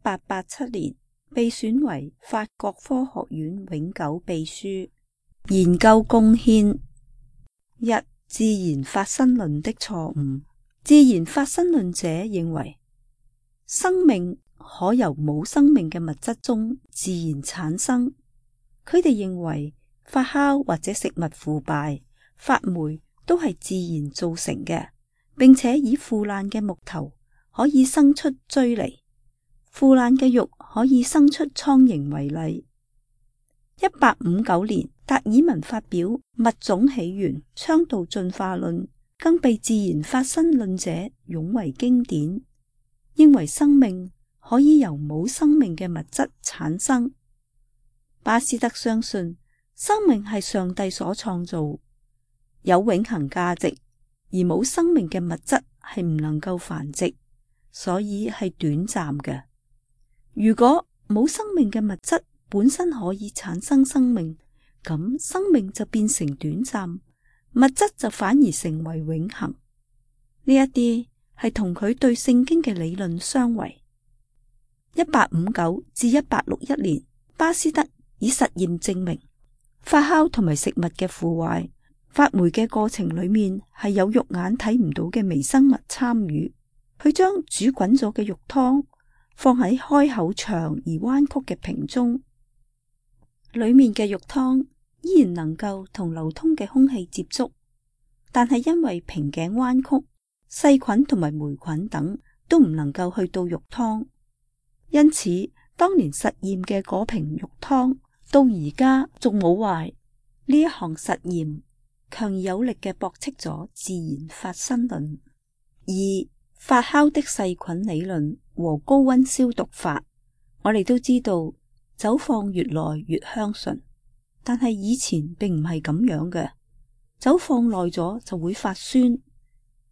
八八七年被選為法國科學院永久秘書。研究貢獻：一、自然發生論的錯誤。自然發生論者認為生命可由冇生命嘅物質中自然產生。佢哋認為發酵或者食物腐敗、發霉都係自然造成嘅，並且以腐爛嘅木頭可以生出蛆嚟，腐爛嘅肉可以生出蒼蠅為例。一八五九年，達爾文發表《物種起源》，倡導進化論，更被自然發生論者擁為經典。認為生命可以由冇生命嘅物質產生。巴斯德相信生命係上帝所創造，有永恆價值，而冇生命嘅物質係唔能夠繁殖，所以係短暫嘅。如果冇生命嘅物質本身可以產生生命，咁生命就變成短暫，物質就反而成為永恆。呢一啲係同佢對聖經嘅理論相違。一八五九至一八六一年，巴斯德以實驗證明發酵同埋食物嘅腐壞、發霉嘅過程裏面係有肉眼睇唔到嘅微生物參與。佢將煮滾咗嘅肉湯放喺開口長而彎曲嘅瓶中，裏面嘅肉湯依然能夠同流通嘅空氣接觸，但係因為瓶頸彎曲，細菌同埋霉菌等都唔能夠去到肉湯，因此當年實驗嘅嗰瓶肉湯到而家仲冇壞。呢一項實驗強而有力嘅駁斥咗自然發生論。二、發酵的細菌理論和高溫消毒法。我哋都知道酒放越耐越香醇，但係以前並唔係咁樣嘅，酒放耐咗就會發酸。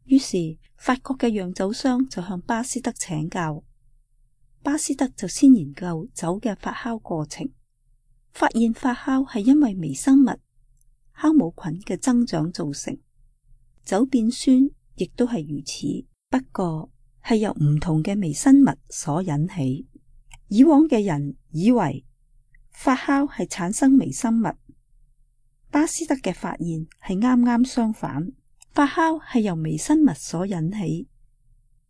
於是法國嘅釀酒商就向巴斯德請教，巴斯德就先研究酒嘅發酵過程，發現發酵係因為微生物酵母菌嘅增長造成，酒變酸亦都係如此，不過係由唔同嘅微生物所引起。以往嘅人以為發酵係產生微生物，巴斯德嘅發現係啱啱相反。發酵係由微生物所引起，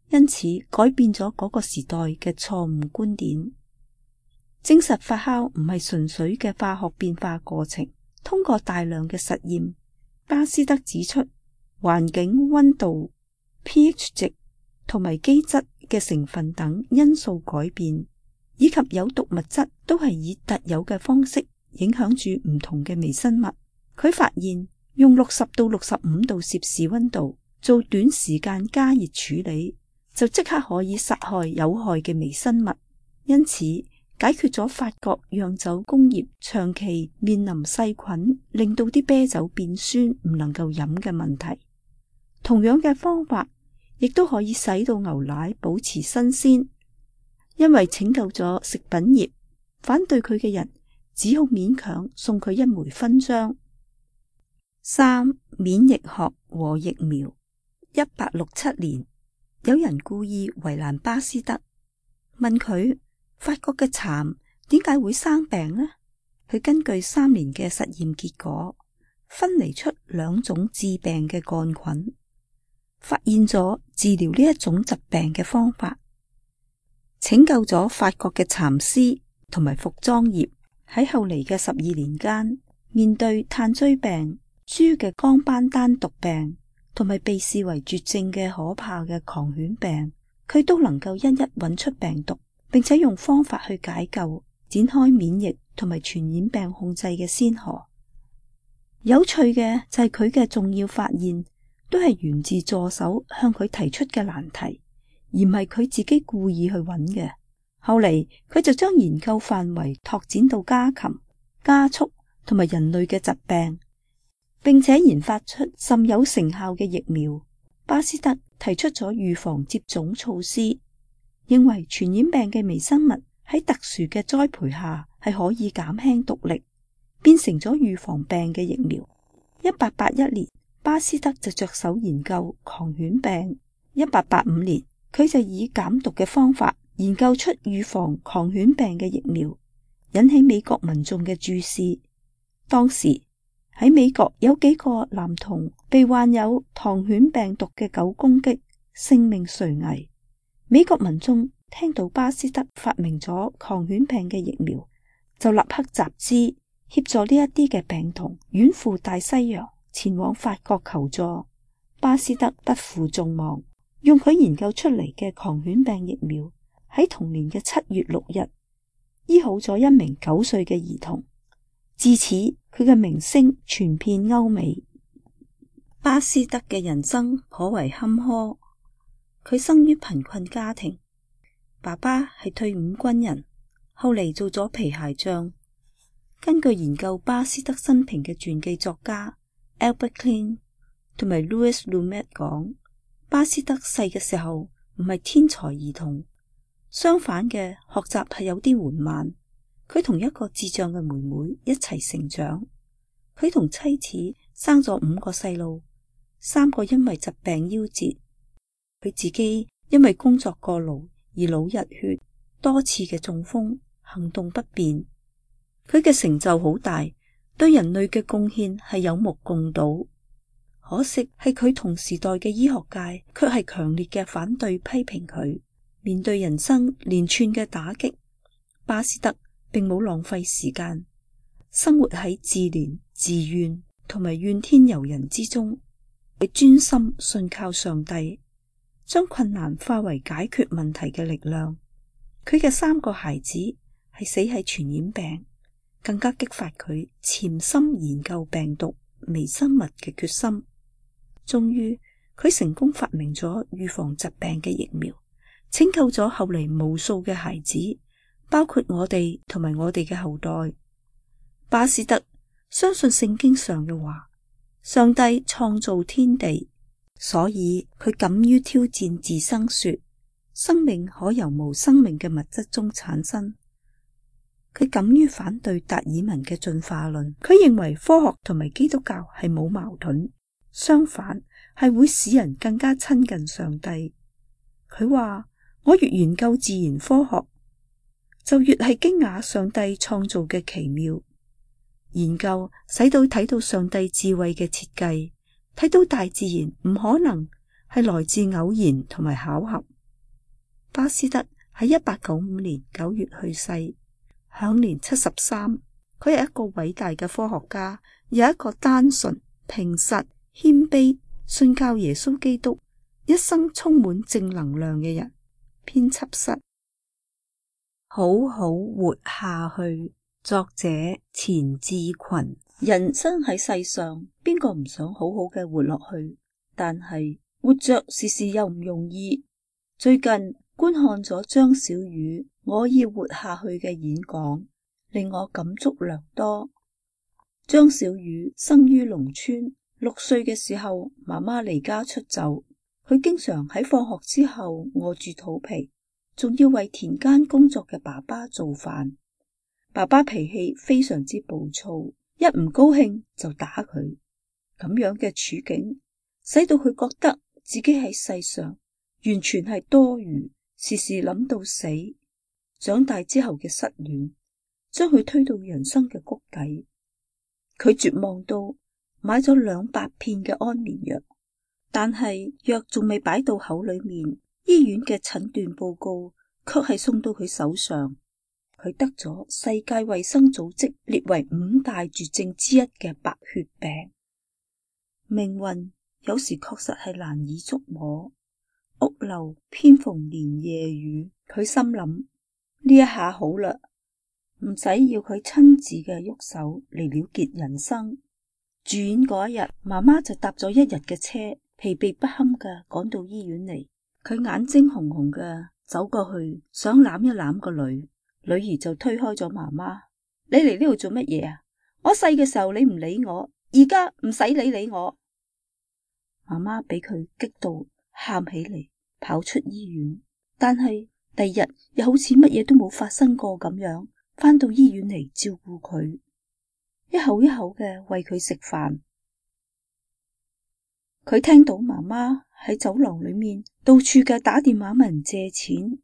因此改變咗嗰個時代嘅錯誤觀點，證實發酵唔係純粹嘅化學變化過程。通過大量嘅實驗，巴斯德指出環境溫度、pH 值同埋基質嘅成分等因素改變，以及有毒物質都係以特有嘅方式影響住唔同嘅微生物。佢發現用六十到六十五度攝氏溫度做短時間加熱處理，就即刻可以殺害有害嘅微生物，因此解決咗法國釀酒工業長期面臨細菌令到啲啤酒變酸唔能夠飲嘅問題。同樣嘅方法亦都可以使到牛奶保持新鮮。因為拯救咗食品業，反對佢嘅人只好勉強送佢一枚勳章。三、免疫學和疫苗。一八六七年，有人故意為難巴斯德，問佢法國嘅蠶點解會生病呢？佢根據三年嘅實驗結果，分離出兩種致病嘅桿菌，發現咗治療呢一種疾病嘅方法，拯救咗法國嘅蠶絲同埋服裝業。喺後嚟嘅十二年間，面對炭疽病、豬嘅光斑丹毒病同埋被視為絕症嘅可怕嘅狂犬病，佢都能夠一一揾出病毒，並且用方法去解救，展開免疫同埋傳染病控制嘅先河。有趣嘅就係佢嘅重要發現都係源自助手向佢提出嘅難題，而唔係佢自己故意去揾嘅。後嚟佢就將研究範圍拓展到家禽、家畜同埋人類嘅疾病，並且研發出甚有成效嘅疫苗。巴斯德提出咗預防接種措施，認為傳染病嘅微生物喺特殊嘅栽培下係可以減輕毒力，變成咗預防病嘅疫苗。一八八一年，巴斯德就着手研究狂犬病。一八八五年，佢就以減毒嘅方法研究出預防狂犬病嘅疫苗，引起美國民眾嘅注視。當時喺美國有幾個男童被患有狂犬病毒嘅狗攻擊，性命垂危。美國民眾聽到巴斯德發明咗狂犬病嘅疫苗，就立刻集資協助呢一啲嘅病童遠赴大西洋前往法國求助。巴斯德不負眾望，用佢研究出嚟嘅狂犬病疫苗喺同年嘅七月六日醫好咗一名九歲嘅兒童。自此佢嘅名聲傳遍歐美。巴斯德嘅人生頗為坎坷，佢生於貧困家庭，爸爸係退伍軍人，後嚟做咗皮鞋匠。根據研究巴斯德生平嘅傳記作家 Albert Klein 同埋 Louis Lumet 講，巴斯德細嘅時候唔係天才兒童，相反嘅學習係有啲緩慢。佢同一個智障嘅妹妹一齊成長，佢同妻子生咗五個細路，三個因為疾病夭折，佢自己因為工作過勞而腦溢血，多次嘅中風，行動不便。佢嘅成就好大，對人類嘅貢獻係有目共睹。可惜係佢同時代嘅醫學界卻係強烈嘅反對批評佢。面對人生連串嘅打擊，巴斯德並冇浪費時間，生活喺自憐自怨同埋怨天尤人之中。佢專心信靠上帝，將困難化為解決問題嘅力量。佢嘅三個孩子係死喺傳染病，更加激發佢潛心研究病毒微生物嘅決心。終於佢成功發明咗預防疾病嘅疫苗，拯救咗後嚟無數嘅孩子，包括我哋同埋我哋嘅後代。巴斯德相信聖經上嘅話，上帝創造天地，所以佢敢於挑戰自生說，生命可由無生命嘅物質中產生。佢敢於反對達爾文嘅進化論，佢認為科學同埋基督教係冇矛盾，相反係會使人更加親近上帝。佢話，我越研究自然科學，就越係驚訝上帝創造嘅奇妙。研究使到睇到上帝智慧嘅設計，睇到大自然唔可能係來自偶然同埋巧合。巴斯德喺一八九五年九月去世，享年七十三。佢係一個偉大嘅科學家，有一個單純、平實、謙卑、信教耶穌基督，一生充滿正能量嘅人。編輯室。好好活下去。作者錢志群。人生喺世上，邊個唔想好好嘅活落去？但係活着時時又唔容易。最近觀看咗張小雨我要活下去嘅演講，令我感觸良多。張小雨生於農村，六歲嘅時候媽媽離家出走，佢經常喺放學之後餓住肚皮，仲要為田間工作嘅爸爸做飯。爸爸脾氣非常之暴躁，一唔高興就打佢。咁樣嘅處境使到佢覺得自己喺世上完全係多餘，時時諗到死。長大之後嘅失戀將佢推到人生嘅谷底，佢絕望到買咗兩百片嘅安眠藥，但係藥仲未擺到口裏面，醫院嘅診斷報告卻係送到佢手上。佢得咗世界衛生組織列為五大絕症之一嘅白血病。命運有時確實係難以捉摸，屋漏偏逢連夜雨。佢心諗呢一下好啦，唔使要佢親自嘅喐手嚟了結人生。住院嗰一日，媽媽就搭咗一日嘅車，疲憊不堪嘅趕到醫院嚟。佢眼睛紅紅嘅走過去，想攬一攬個女。女兒就推開咗媽媽，你嚟呢度做乜嘢啊？我細嘅時候你唔理我，而家唔使理理我。媽媽俾佢激到喊起嚟，跑出醫院。但係第二日又好似乜嘢都冇發生過咁樣，返到醫院嚟照顧佢，一口一口嘅餵佢食飯。佢聽到媽媽喺走廊裏面到處嘅打電話問人借錢，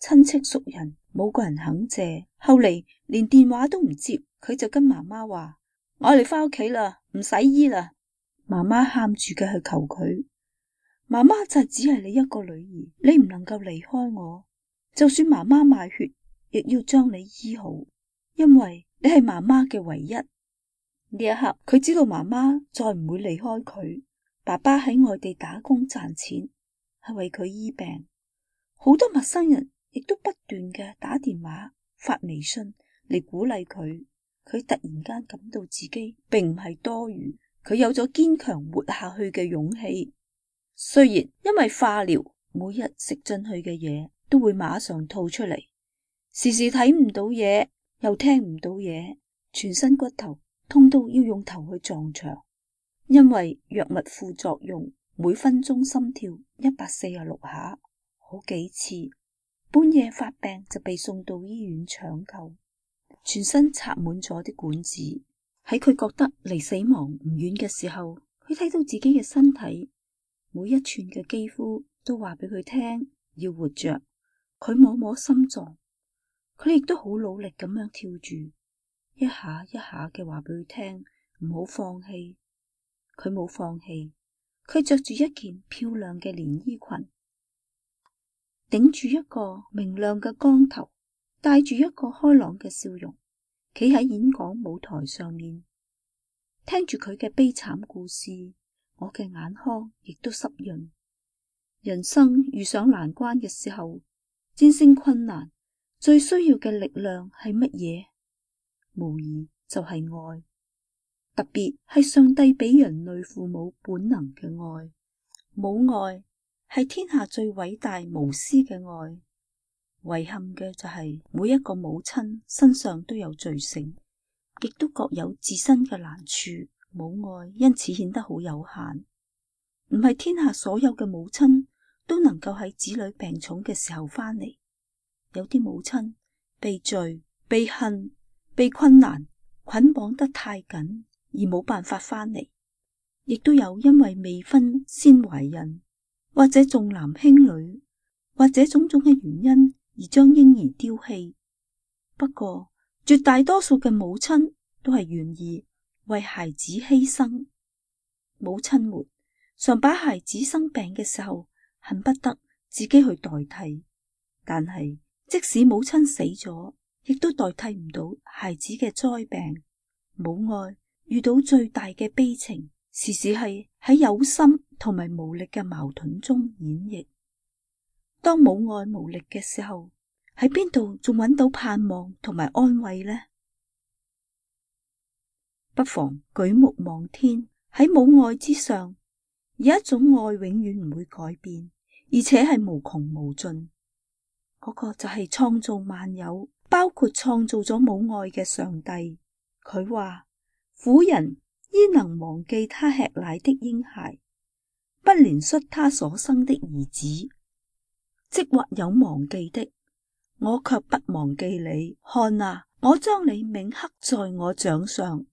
親戚熟人冇個人肯借，後嚟連電話都唔接，佢就跟媽媽話：我哋返屋企啦，唔使醫啦。媽媽喊住嘅去求佢，媽媽就只係你一個女兒，你唔能夠離開我，就算媽媽賣血，亦要將你醫好，因為你係媽媽嘅唯一。呢一刻，佢知道媽媽再唔會離開佢。爸爸喺外地打工賺錢，係為佢醫病。好多陌生人亦都不斷嘅打電話、發微信嚟鼓勵佢。佢突然間感到自己並唔係多餘，佢有咗堅強活下去嘅勇氣。雖然因為化療，每日食進去嘅嘢都會馬上吐出嚟，時時睇唔到嘢，又聽唔到嘢，全身骨頭痛到要用頭去撞牆。因為藥物副作用，每分鐘心跳一百四十六下。好幾次半夜發病就被送到醫院搶救，全身插滿咗啲管子。喺佢覺得離死亡唔遠嘅時候，佢睇到自己嘅身體每一寸嘅肌膚都話俾佢聽要活着。佢摸摸心臟，佢亦都好努力咁樣跳住，一下一下嘅話俾佢聽唔好放棄。佢冇放棄，佢着住一件漂亮嘅連衣裙，頂住一個明亮嘅光頭，帶住一個開朗嘅笑容，企喺演講舞台上面，聽住佢嘅悲慘故事，我嘅眼眶亦都濕潤。人生遇上難關嘅時候，戰勝困難最需要嘅力量係乜嘢？無疑就係愛，特別係上帝俾人類父母本能嘅愛。母愛係天下最偉大無私嘅愛。遺憾嘅就係每一個母親身上都有罪性，亦都各有自身嘅難處，母愛因此顯得好有限。唔係天下所有嘅母親都能夠喺子女病重嘅時候翻嚟。有啲母親被罪、被恨、被困難捆綁得太緊而冇辦法翻嚟，亦都有因為未婚先懷孕，或者重男輕女，或者種種嘅原因而將嬰兒丟棄。不過絕大多數嘅母親都係願意為孩子犧牲。母親們常把孩子生病嘅時候恨不得自己去代替，但係即使母親死咗，亦都代替唔到孩子嘅災病。母愛遇到最大嘅悲情，時時係喺有心同埋無力嘅矛盾中演繹。當母愛無力嘅時候，喺邊度仲揾到盼望同埋安慰呢？不妨舉目望天，喺母愛之上，有一種愛永遠唔會改變，而且係無窮無盡。嗰個就係創造萬有，包括創造咗母愛嘅上帝。佢話：婦人焉能忘記他吃奶的嬰孩，不憐恤他所生的兒子？即或有忘記的，我卻不忘記你。看啊，我將你銘刻在我掌上。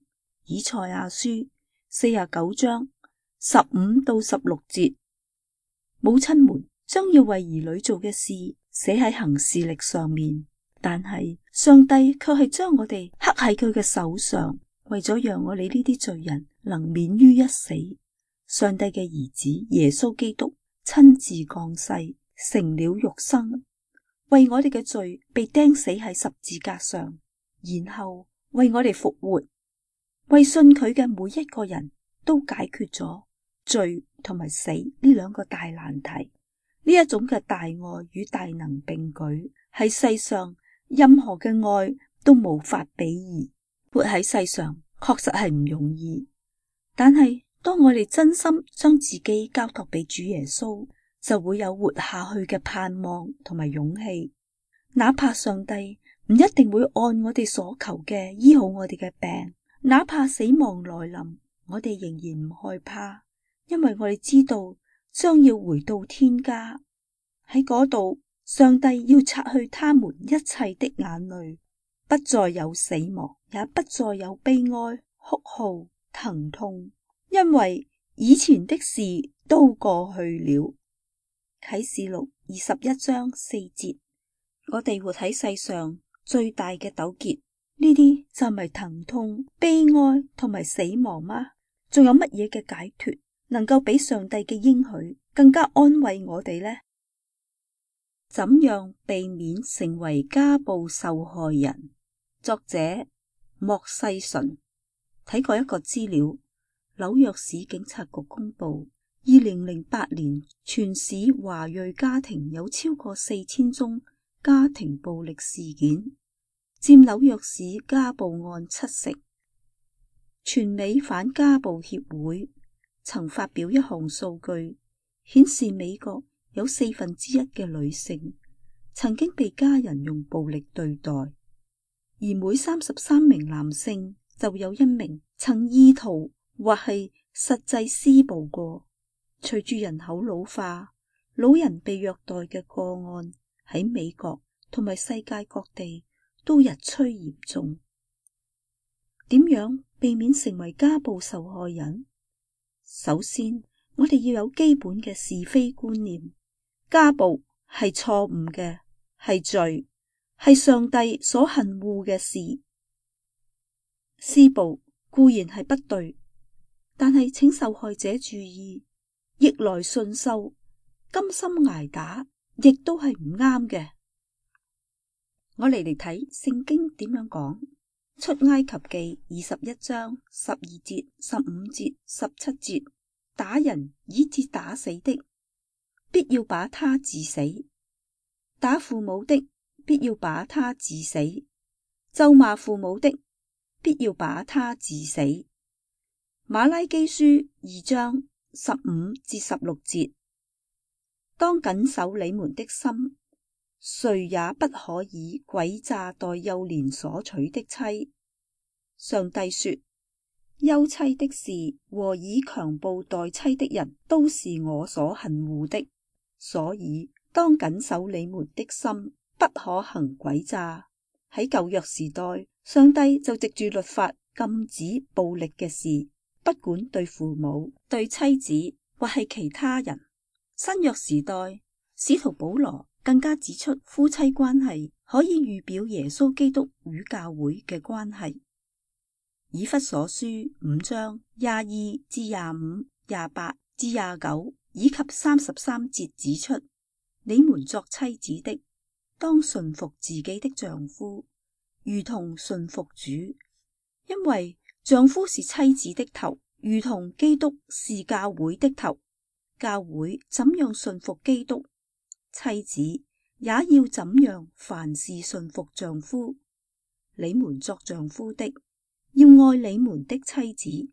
以賽亞書四十九章十五到十六節。母親們將要為兒女做嘅事寫喺行事曆上面，但係上帝卻係將我哋刻喺佢嘅手上，為咗讓我哋呢啲罪人能免於一死。上帝嘅兒子耶穌基督親自降世，成了肉身，為我哋嘅罪被釘死喺十字架上，然後為我哋復活，為信佢嘅每一個人都解決咗罪同埋死呢兩個大難題。呢一種嘅大愛與大能並舉，喺世上任何嘅愛都無法比擬。活喺世上確實係唔容易，但係當我哋真心將自己交託俾主耶穌，就會有活下去嘅盼望同埋勇氣。哪怕上帝唔一定會按我哋所求嘅醫好我哋嘅病，哪怕死亡來臨，我哋仍然唔害怕，因為我哋知道將要回到天家。喺嗰度，上帝要擦去他們一切的眼淚，不再有死亡，也不再有悲哀、哭號、疼痛，因為以前的事都過去了。啟示錄二十一章四節。我哋活喺世上最大嘅糾結，呢啲就係疼痛、悲哀同埋死亡嗎？仲有乜嘢嘅解脫能夠比上帝嘅應許更加安慰我哋呢？怎樣避免成為家暴受害人？作者莫世純。睇過一個資料，紐約市警察局公布，二零零八年全市華裔家庭有超過四千宗家庭暴力事件，佔紐約市家暴案七成。全美反家暴協會曾發表一項數據，顯示美國有四分之一嘅女性曾經被家人用暴力對待，而每三十三名男性就有一名曾意圖或係實際施暴過。隨住人口老化，老人被虐待嘅個案喺美國同埋世界各地都日趨嚴重。點樣避免成為家暴受害人？首先，我哋要有基本嘅是非觀念。家暴係錯誤嘅，係罪，係上帝所恨惡嘅事。施暴固然係不對，但係請受害者注意，逆來順受、甘心捱打，亦都係唔啱嘅。我嚟嚟睇聖經點樣講。出埃及記二十一章十二節、十五節、十七節，打人以致打死的，必要把他治死；打父母的，必要把他治死；咒罵父母的，必要把他治死。馬拉基書二章十五至十六節，當謹守你們的心，誰也不可以詭詐待幼年所娶的妻。上帝說，休妻的事和以強暴待妻的人都是我所恨惡的，所以當謹守你們的心，不可行詭詐。喺舊約時代，上帝就藉住律法禁止暴力嘅事，不管對父母、對妻子或係其他人。新約時代，使徒保羅更加指出夫妻關係可以預表耶穌基督與教會嘅關係。以弗所書五章廿二至廿五、廿八至廿九以及三十三節指出，你們作妻子的，當順服自己的丈夫，如同順服主，因為丈夫是妻子的頭，如同基督是教會的頭，教會怎樣順服基督，妻子也要怎樣凡事順服丈夫。你們作丈夫的，要愛你們的妻子，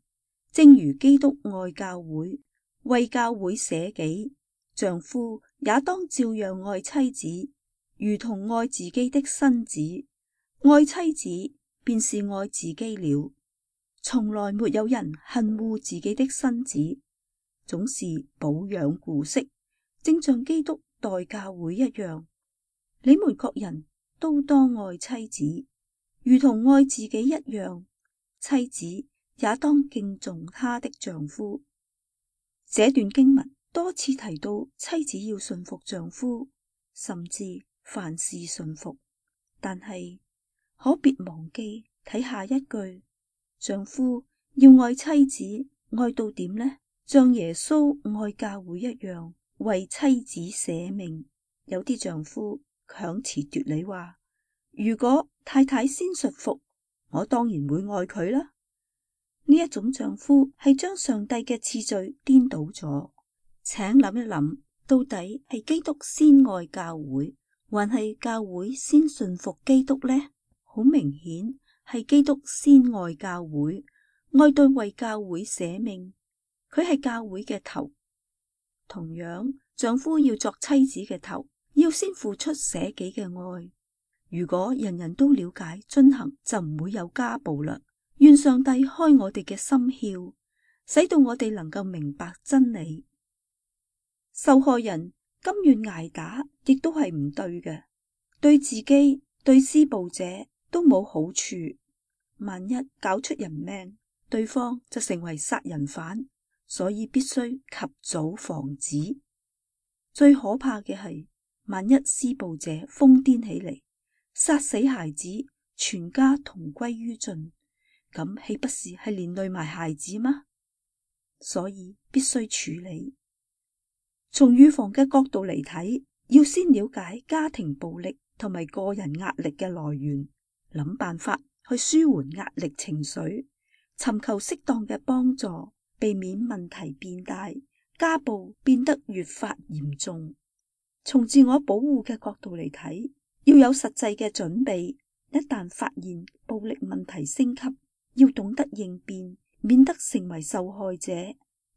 正如基督愛教會，為教會捨己。丈夫也當照樣愛妻子，如同愛自己的身子。愛妻子便是愛自己了。從來沒有人恨惡自己的身子，總是保養顧惜，正像基督待教會一樣。你們各人都當愛妻子，如同愛自己一樣。妻子也當敬重她的丈夫。這段經文多次提到妻子要順服丈夫，甚至凡事順服。但係可別忘記睇下一句，丈夫要愛妻子，愛到點呢？像耶穌愛教會一樣，為妻子捨命。有啲丈夫強詞奪理話，如果太太先順服，我當然會愛佢啦。呢一種丈夫係將上帝嘅次序顛倒咗。請諗一諗，到底係基督先愛教會，還係教會先順服基督呢？好明顯係基督先愛教會，愛到為教會捨命。佢係教會嘅頭。同樣，丈夫要作妻子嘅頭，要先付出捨己嘅愛。如果人人都了解遵行，就唔會有家暴啦。願上帝開我哋嘅心竅，使到我哋能夠明白真理。受害人甘願捱打，亦都係唔對嘅，對自己、對施暴者都冇好處。萬一搞出人命，對方就成為殺人犯，所以必須及早防止。最可怕嘅係，萬一施暴者瘋癲起嚟，殺死孩子，全家同歸於盡，咁豈不是係連累埋孩子嗎？所以必須處理。從預防嘅角度嚟睇，要先了解家庭暴力同埋個人壓力嘅來源，諗辦法去舒緩壓力情緒，尋求適當嘅幫助，避免問題變大，家暴變得越發嚴重。從自我保護嘅角度嚟睇，要有實際嘅準備，一旦發現暴力問題升級，要懂得應變，免得成為受害者。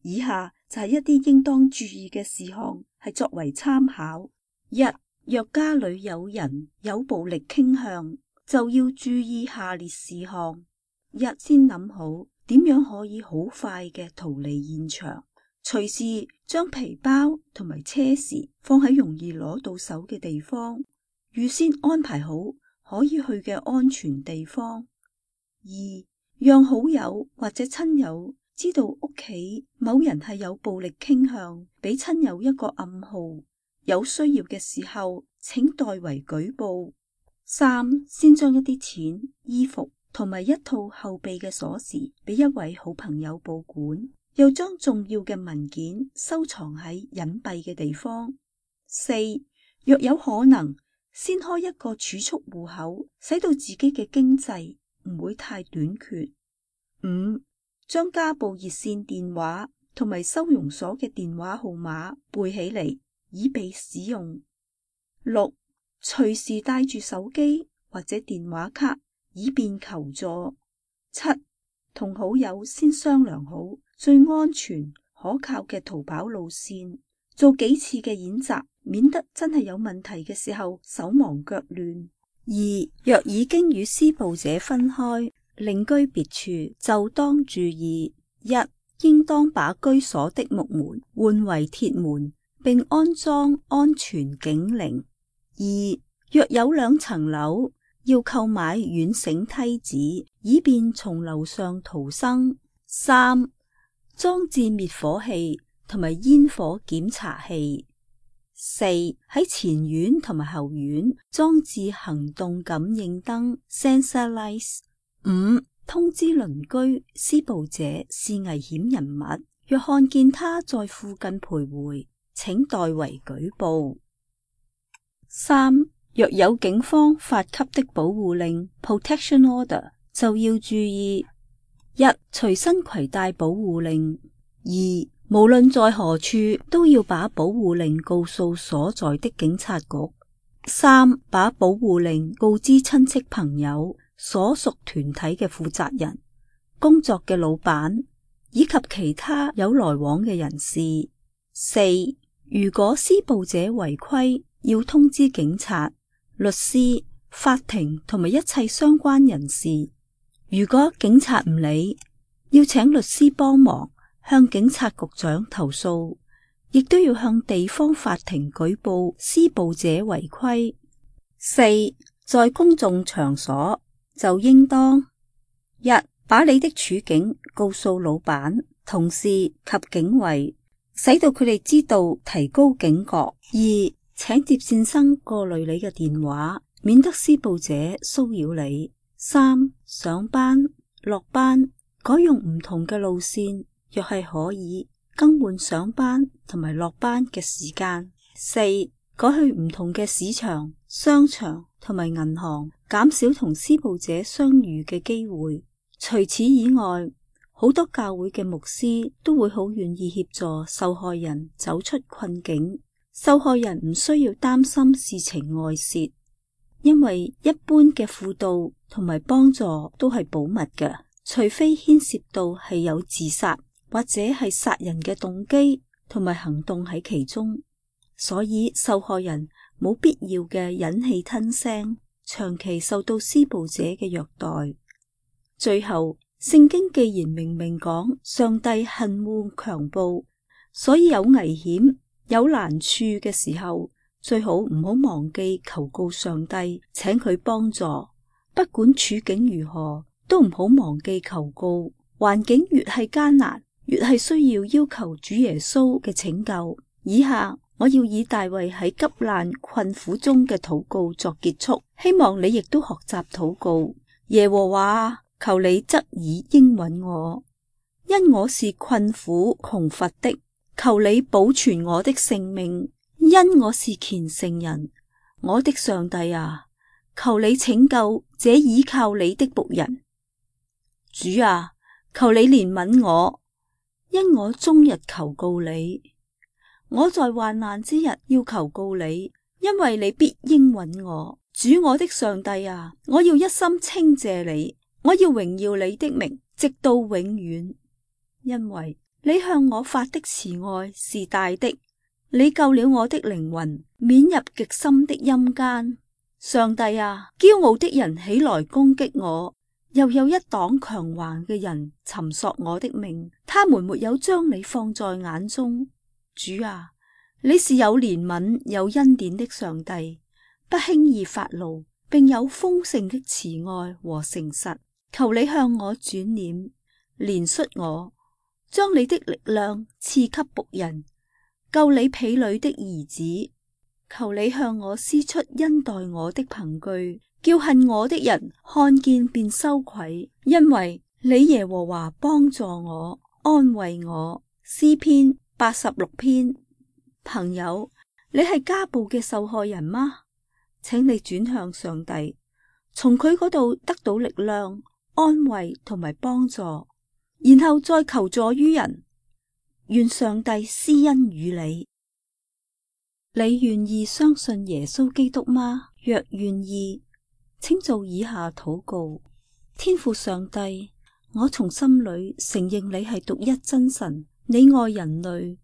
以下就係一啲應當注意嘅事項，係作為參考。一、若家裏有人有暴力傾向，就要注意下列事項。一、先諗好點樣可以好快嘅逃離現場，隨時將皮包同埋車匙放喺容易攞到手嘅地方，預先安排好可以去嘅安全地方。二、讓好友或者親友知道屋企某人係有暴力傾向，俾親友一個暗號，有需要嘅時候請代為舉報。三、先將一啲錢、衣服同埋一套後備嘅鎖匙俾一位好朋友保管，又將重要嘅文件收藏喺隱蔽嘅地方。四、若有可能，先開一個儲蓄戶口，使到自己嘅經濟唔會太短缺。五、將家暴熱線電話同埋收容所嘅電話號碼背起嚟，以備使用。六、隨時帶住手機或者電話卡，以便求助。七、同好友先商量好最安全可靠嘅逃跑路線，做幾次嘅演習，免得真係有問題嘅時候手忙腳亂。二、若已經與施暴者分開，另居別處，就當注意：一、應當把居所的木門換為鐵門，並安裝安全警鈴。二、若有兩層樓，要購買軟繩梯子，以便從樓上逃生。三、裝置滅火器同埋煙火檢查器。四、喺前院同埋後院裝置行動感應燈 （sensor lights）。五、通知鄰居施暴者是危險人物，若看見他在附近徘徊，請代為舉報。三、若有警方發給的保護令 （protection order），就要注意。一、隨身攜帶保護令；二、無論在何處都要把保護令告訴所在的警察局；三、把保護令告知親戚朋友、所屬團體嘅負責人、工作嘅老闆以及其他有來往嘅人士；四、如果施暴者違規，要通知警察、律師、法庭同埋一切相關人士。如果警察唔理，要請律師幫忙，向警察局長投訴，亦都要向地方法庭舉報施暴者違規。四、在公眾場所就應當：一、把你的處境告訴老闆、同事及警衛，使到佢哋知道，提高警覺；二、請接線生過濾你嘅電話，免得施暴者騷擾你；三、上班、落班改用唔同嘅路線，若係可以更換上班同埋落班嘅時間；四、改去唔同嘅市場、商場同埋銀行，減少同施暴者相遇嘅機會。除此以外，好多教會嘅牧師都會好願意協助受害人走出困境。受害人唔需要擔心事情外洩，因為一般嘅輔導同埋幫助都係保密嘅，除非牽涉到係有自殺或者係殺人嘅動機同埋行動喺其中，所以受害人冇必要嘅忍氣吞聲，長期受到施暴者嘅虐待。最後，聖經既然明明講上帝恨惡強暴，所以有危險有難處嘅時候，最好唔好忘記求告上帝，請佢幫助。不管處境如何，都唔好忘記求告。環境越係艱難，越係需要要求主耶穌嘅拯救。以下我要以大衛喺急難困苦中嘅禱告作結束，希望你亦都學習禱告。耶和華，求你側耳應允我，因我是困苦窮乏的。求你保存我的性命，因我是虔誠人。我的上帝啊，求你拯救這倚靠你的僕人。主啊，求你憐憫我，因我終日求告你。我在患難之日要求告你，因為你必應允我。主我的上帝啊，我要一心稱謝你，我要榮耀你的名，直到永遠，因為你向我發的慈愛是大的，你救了我的靈魂，免入極深的陰間。上帝啊，驕傲的人起來攻擊我，又有一黨強橫嘅人尋索我的命，他們沒有將你放在眼中。主啊，你是有憐憫有恩典的上帝，不輕易發怒，並有豐盛的慈愛和誠實。求你向我轉臉，憐恤我，將你的力量賜給僕人，救你婢女的兒子。求你向我施出恩待我的憑據，叫恨我的人看見便羞愧，因為你耶和華幫助我，安慰我。詩篇八十六篇。朋友，你係家暴嘅受害人嗎？請你轉向上帝，從佢嗰度得到力量、安慰同埋幫助，然後再求助於人。願上帝施恩與你。你願意相信耶穌基督嗎？若願意，請做以下禱告：天父上帝，我從心裏承認你係獨一真神，你愛人類，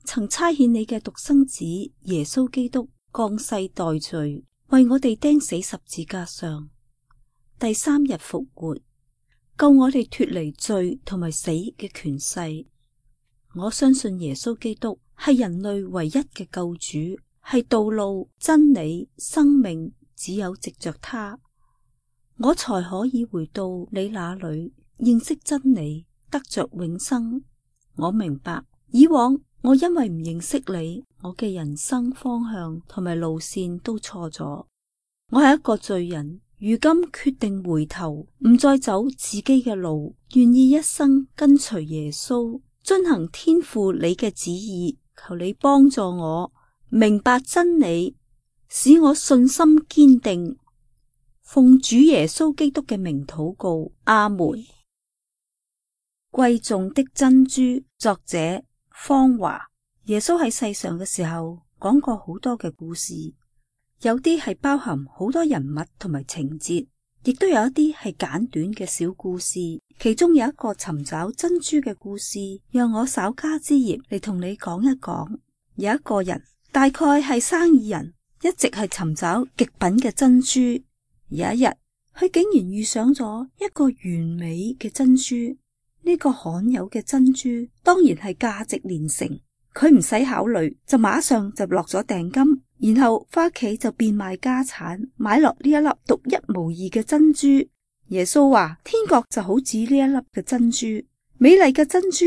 曾差遣你嘅獨生子耶穌基督降世代罪，為我哋釘死十字架上，第三日復活，救我哋脫離罪同埋死嘅權勢。我相信耶穌基督係人類唯一嘅救主，係道路、真理、生命，只有藉着他，我才可以回到你那裏，認識真理，得着永生。我明白，以往我因為唔認識你，我嘅人生方向同埋路線都錯咗。我係一個罪人，如今決定回頭，唔再走自己嘅路，願意一生跟隨耶穌，遵行天父你嘅旨意。求你幫助我明白真理，使我信心堅定。奉主耶穌基督嘅名禱告，阿門。貴重的珍珠，作者方華。耶穌喺世上嘅時候講過好多嘅故事，有啲係包含好多人物同埋情節，亦都有一啲係簡短嘅小故事。其中有一個尋找珍珠嘅故事，讓我稍加之業嚟同你講一講。有一個人，大概係生意人，一直係尋找極品嘅珍珠。有一日，佢竟然遇上咗一個完美嘅珍珠。呢個罕有嘅珍珠當然係價值連城，佢唔使考慮就馬上就落咗訂金，然後返屋企就變賣家產買落呢一粒獨一無二嘅珍珠。耶穌話天國就好似呢一粒嘅珍珠，美麗嘅珍珠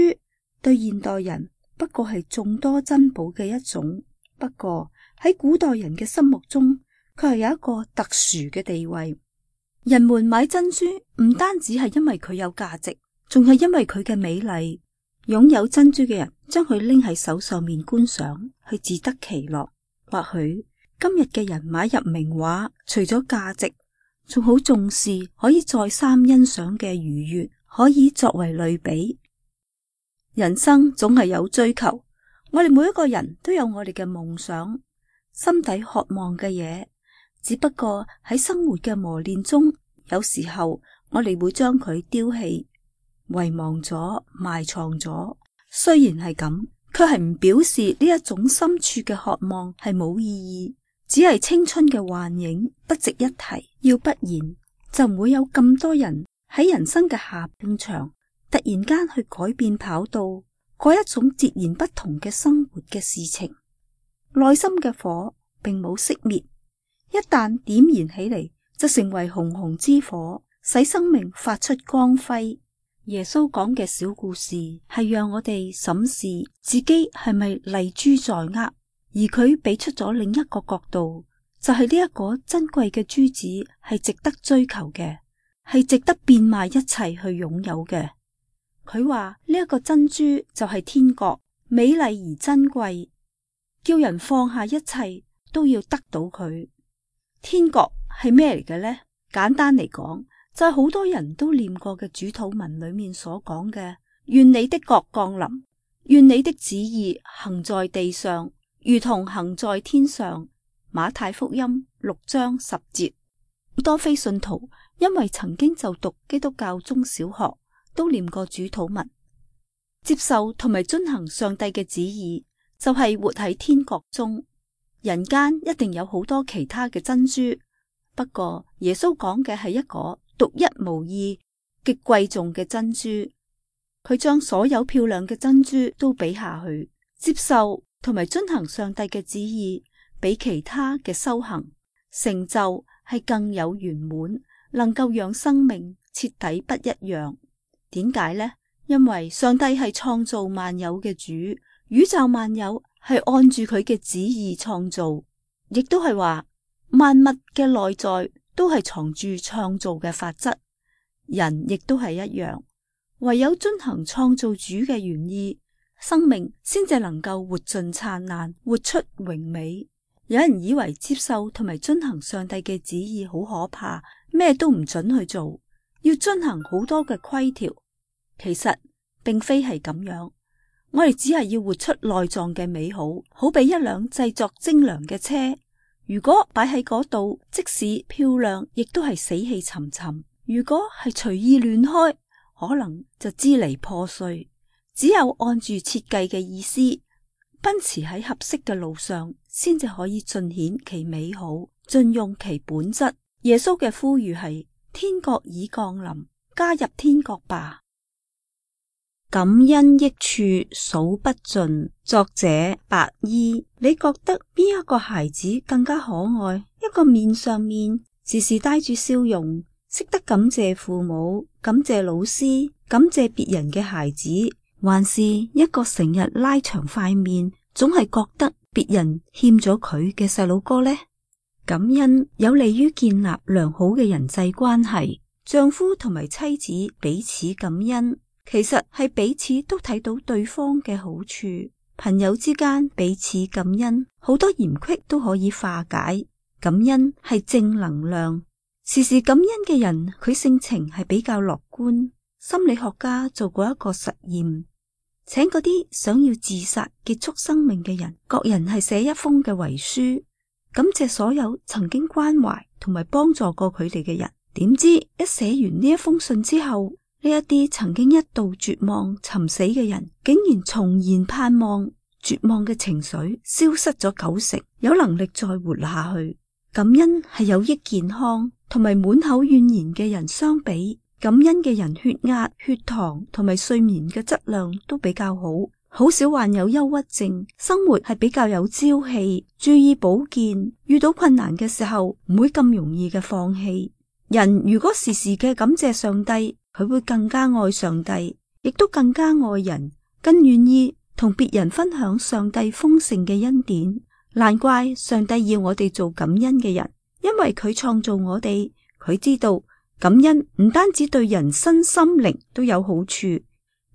對現代人不過係眾多珍寶嘅一種，不過喺古代人嘅心目中佢係有一個特殊嘅地位。人們買珍珠唔單止係因為佢有價值，仲係因為佢嘅美麗。擁有珍珠嘅人將佢拎喺手上面觀賞，去自得其樂。或許今日嘅人買入名畫，除咗價值，仲好重視可以再三欣賞嘅愉悅，可以作為類比。人生總係有追求，我哋每一個人都有我哋嘅夢想，心底渴望嘅嘢，只不過喺生活嘅磨練中，有時候我哋會將佢丟棄、遺忘咗、埋藏咗。雖然係咁，卻係唔表示呢一種深處嘅渴望係冇意義，只係青春嘅幻影，不值一提。要不然就唔會有咁多人喺人生嘅下半場突然間去改變跑道，過一種截然不同嘅生活嘅事情。內心嘅火並冇熄滅，一旦點燃起嚟，就成為熊熊之火，使生命發出光輝。耶穌講嘅小故事係讓我哋審視自己係咪麗珠在握，而佢俾出咗另一個角度，就係呢一個珍貴嘅珠子係值得追求嘅，係值得變賣一切去擁有嘅。佢話呢一個珍珠就係天國，美麗而珍貴，叫人放下一切都要得到佢。天國係咩嚟嘅呢？簡單嚟講，就係好多人都念過嘅主禱文裏面所講嘅，願你的國降臨，願你的旨意行在地上，如同行在天上。馬太福音六章十節。多非信徒因為曾經就讀基督教中小學，都念過主禱文，接受同埋遵行上帝嘅旨意，就係活喺天國中。人間一定有好多其他嘅珍珠，不過耶穌講嘅係一個獨一無二、極貴重嘅珍珠。佢將所有漂亮嘅珍珠都比下去，接受同埋遵行上帝嘅旨意，比其他嘅修行成就係更有圓滿，能夠讓生命徹底不一樣。點解呢？因為上帝係創造萬有嘅主，宇宙萬有係按住佢嘅旨意創造，亦都係話萬物嘅內在都係藏住創造嘅法則。人亦都係一樣，唯有遵行創造主嘅原意，生命先至能夠活盡燦爛，活出榮美。有人以為接受同埋遵行上帝嘅旨意好可怕，咩都唔准去做，要遵行好多嘅規條。其實並非係咁樣，我哋只係要活出內臟嘅美好，好比一輛製作精良嘅車，如果擺喺嗰度，即使漂亮，亦都係死氣沉沉；如果係隨意亂開，可能就支離破碎。只有按住設計嘅意思，奔馳喺合適嘅路上，先至可以盡顯其美好，盡用其本質。耶穌嘅呼籲係：天國已降臨，加入天國吧。感恩益處數不盡。作者白衣。你覺得邊一個孩子更加可愛？一個面上面時時帶住笑容，識得感謝父母、感謝老師、感謝別人嘅孩子，還是一個成日拉長塊面，總係覺得別人欠咗佢嘅細佬哥呢？感恩有利於建立良好嘅人際關係，丈夫同埋妻子彼此感恩，其實係彼此都睇到對方嘅好處。朋友之間彼此感恩，好多嫌隙都可以化解。感恩係正能量，時時感恩嘅人，佢性情係比較樂觀，心理學家做過一個實驗，請嗰啲想要自殺結束生命嘅人，各人係寫一封嘅遺書，感謝所有曾經關懷同埋幫助過佢哋嘅人。點知一寫完呢一封信之後，呢一啲曾經一度絕望尋死嘅人，竟然重燃盼望，絕望嘅情緒消失咗九成，有能力再活下去。感恩係有益健康，同埋滿口怨言嘅人相比，感恩嘅人血壓、血糖同埋睡眠嘅質量都比較好，好少患有憂鬱症，生活係比較有朝氣，注意保健，遇到困難嘅時候唔會咁容易嘅放棄。人如果時時嘅感謝上帝，佢會更加愛上帝，亦都更加愛人，更願意同別人分享上帝豐盛嘅恩典。難怪上帝要我哋做感恩嘅人，因為佢創造我哋，佢知道感恩唔單止對人身心靈都有好處，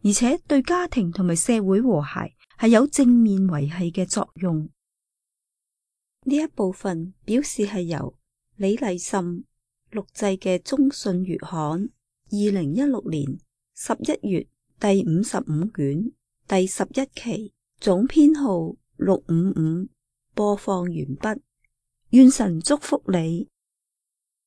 而且對家庭同埋社會和諧係有正面維繫嘅作用。呢一部分表示係由李麗岑錄製嘅中信月刊二零一六年十一月第五十五卷第十一期總編號六五五，播放完畢。願神祝福你。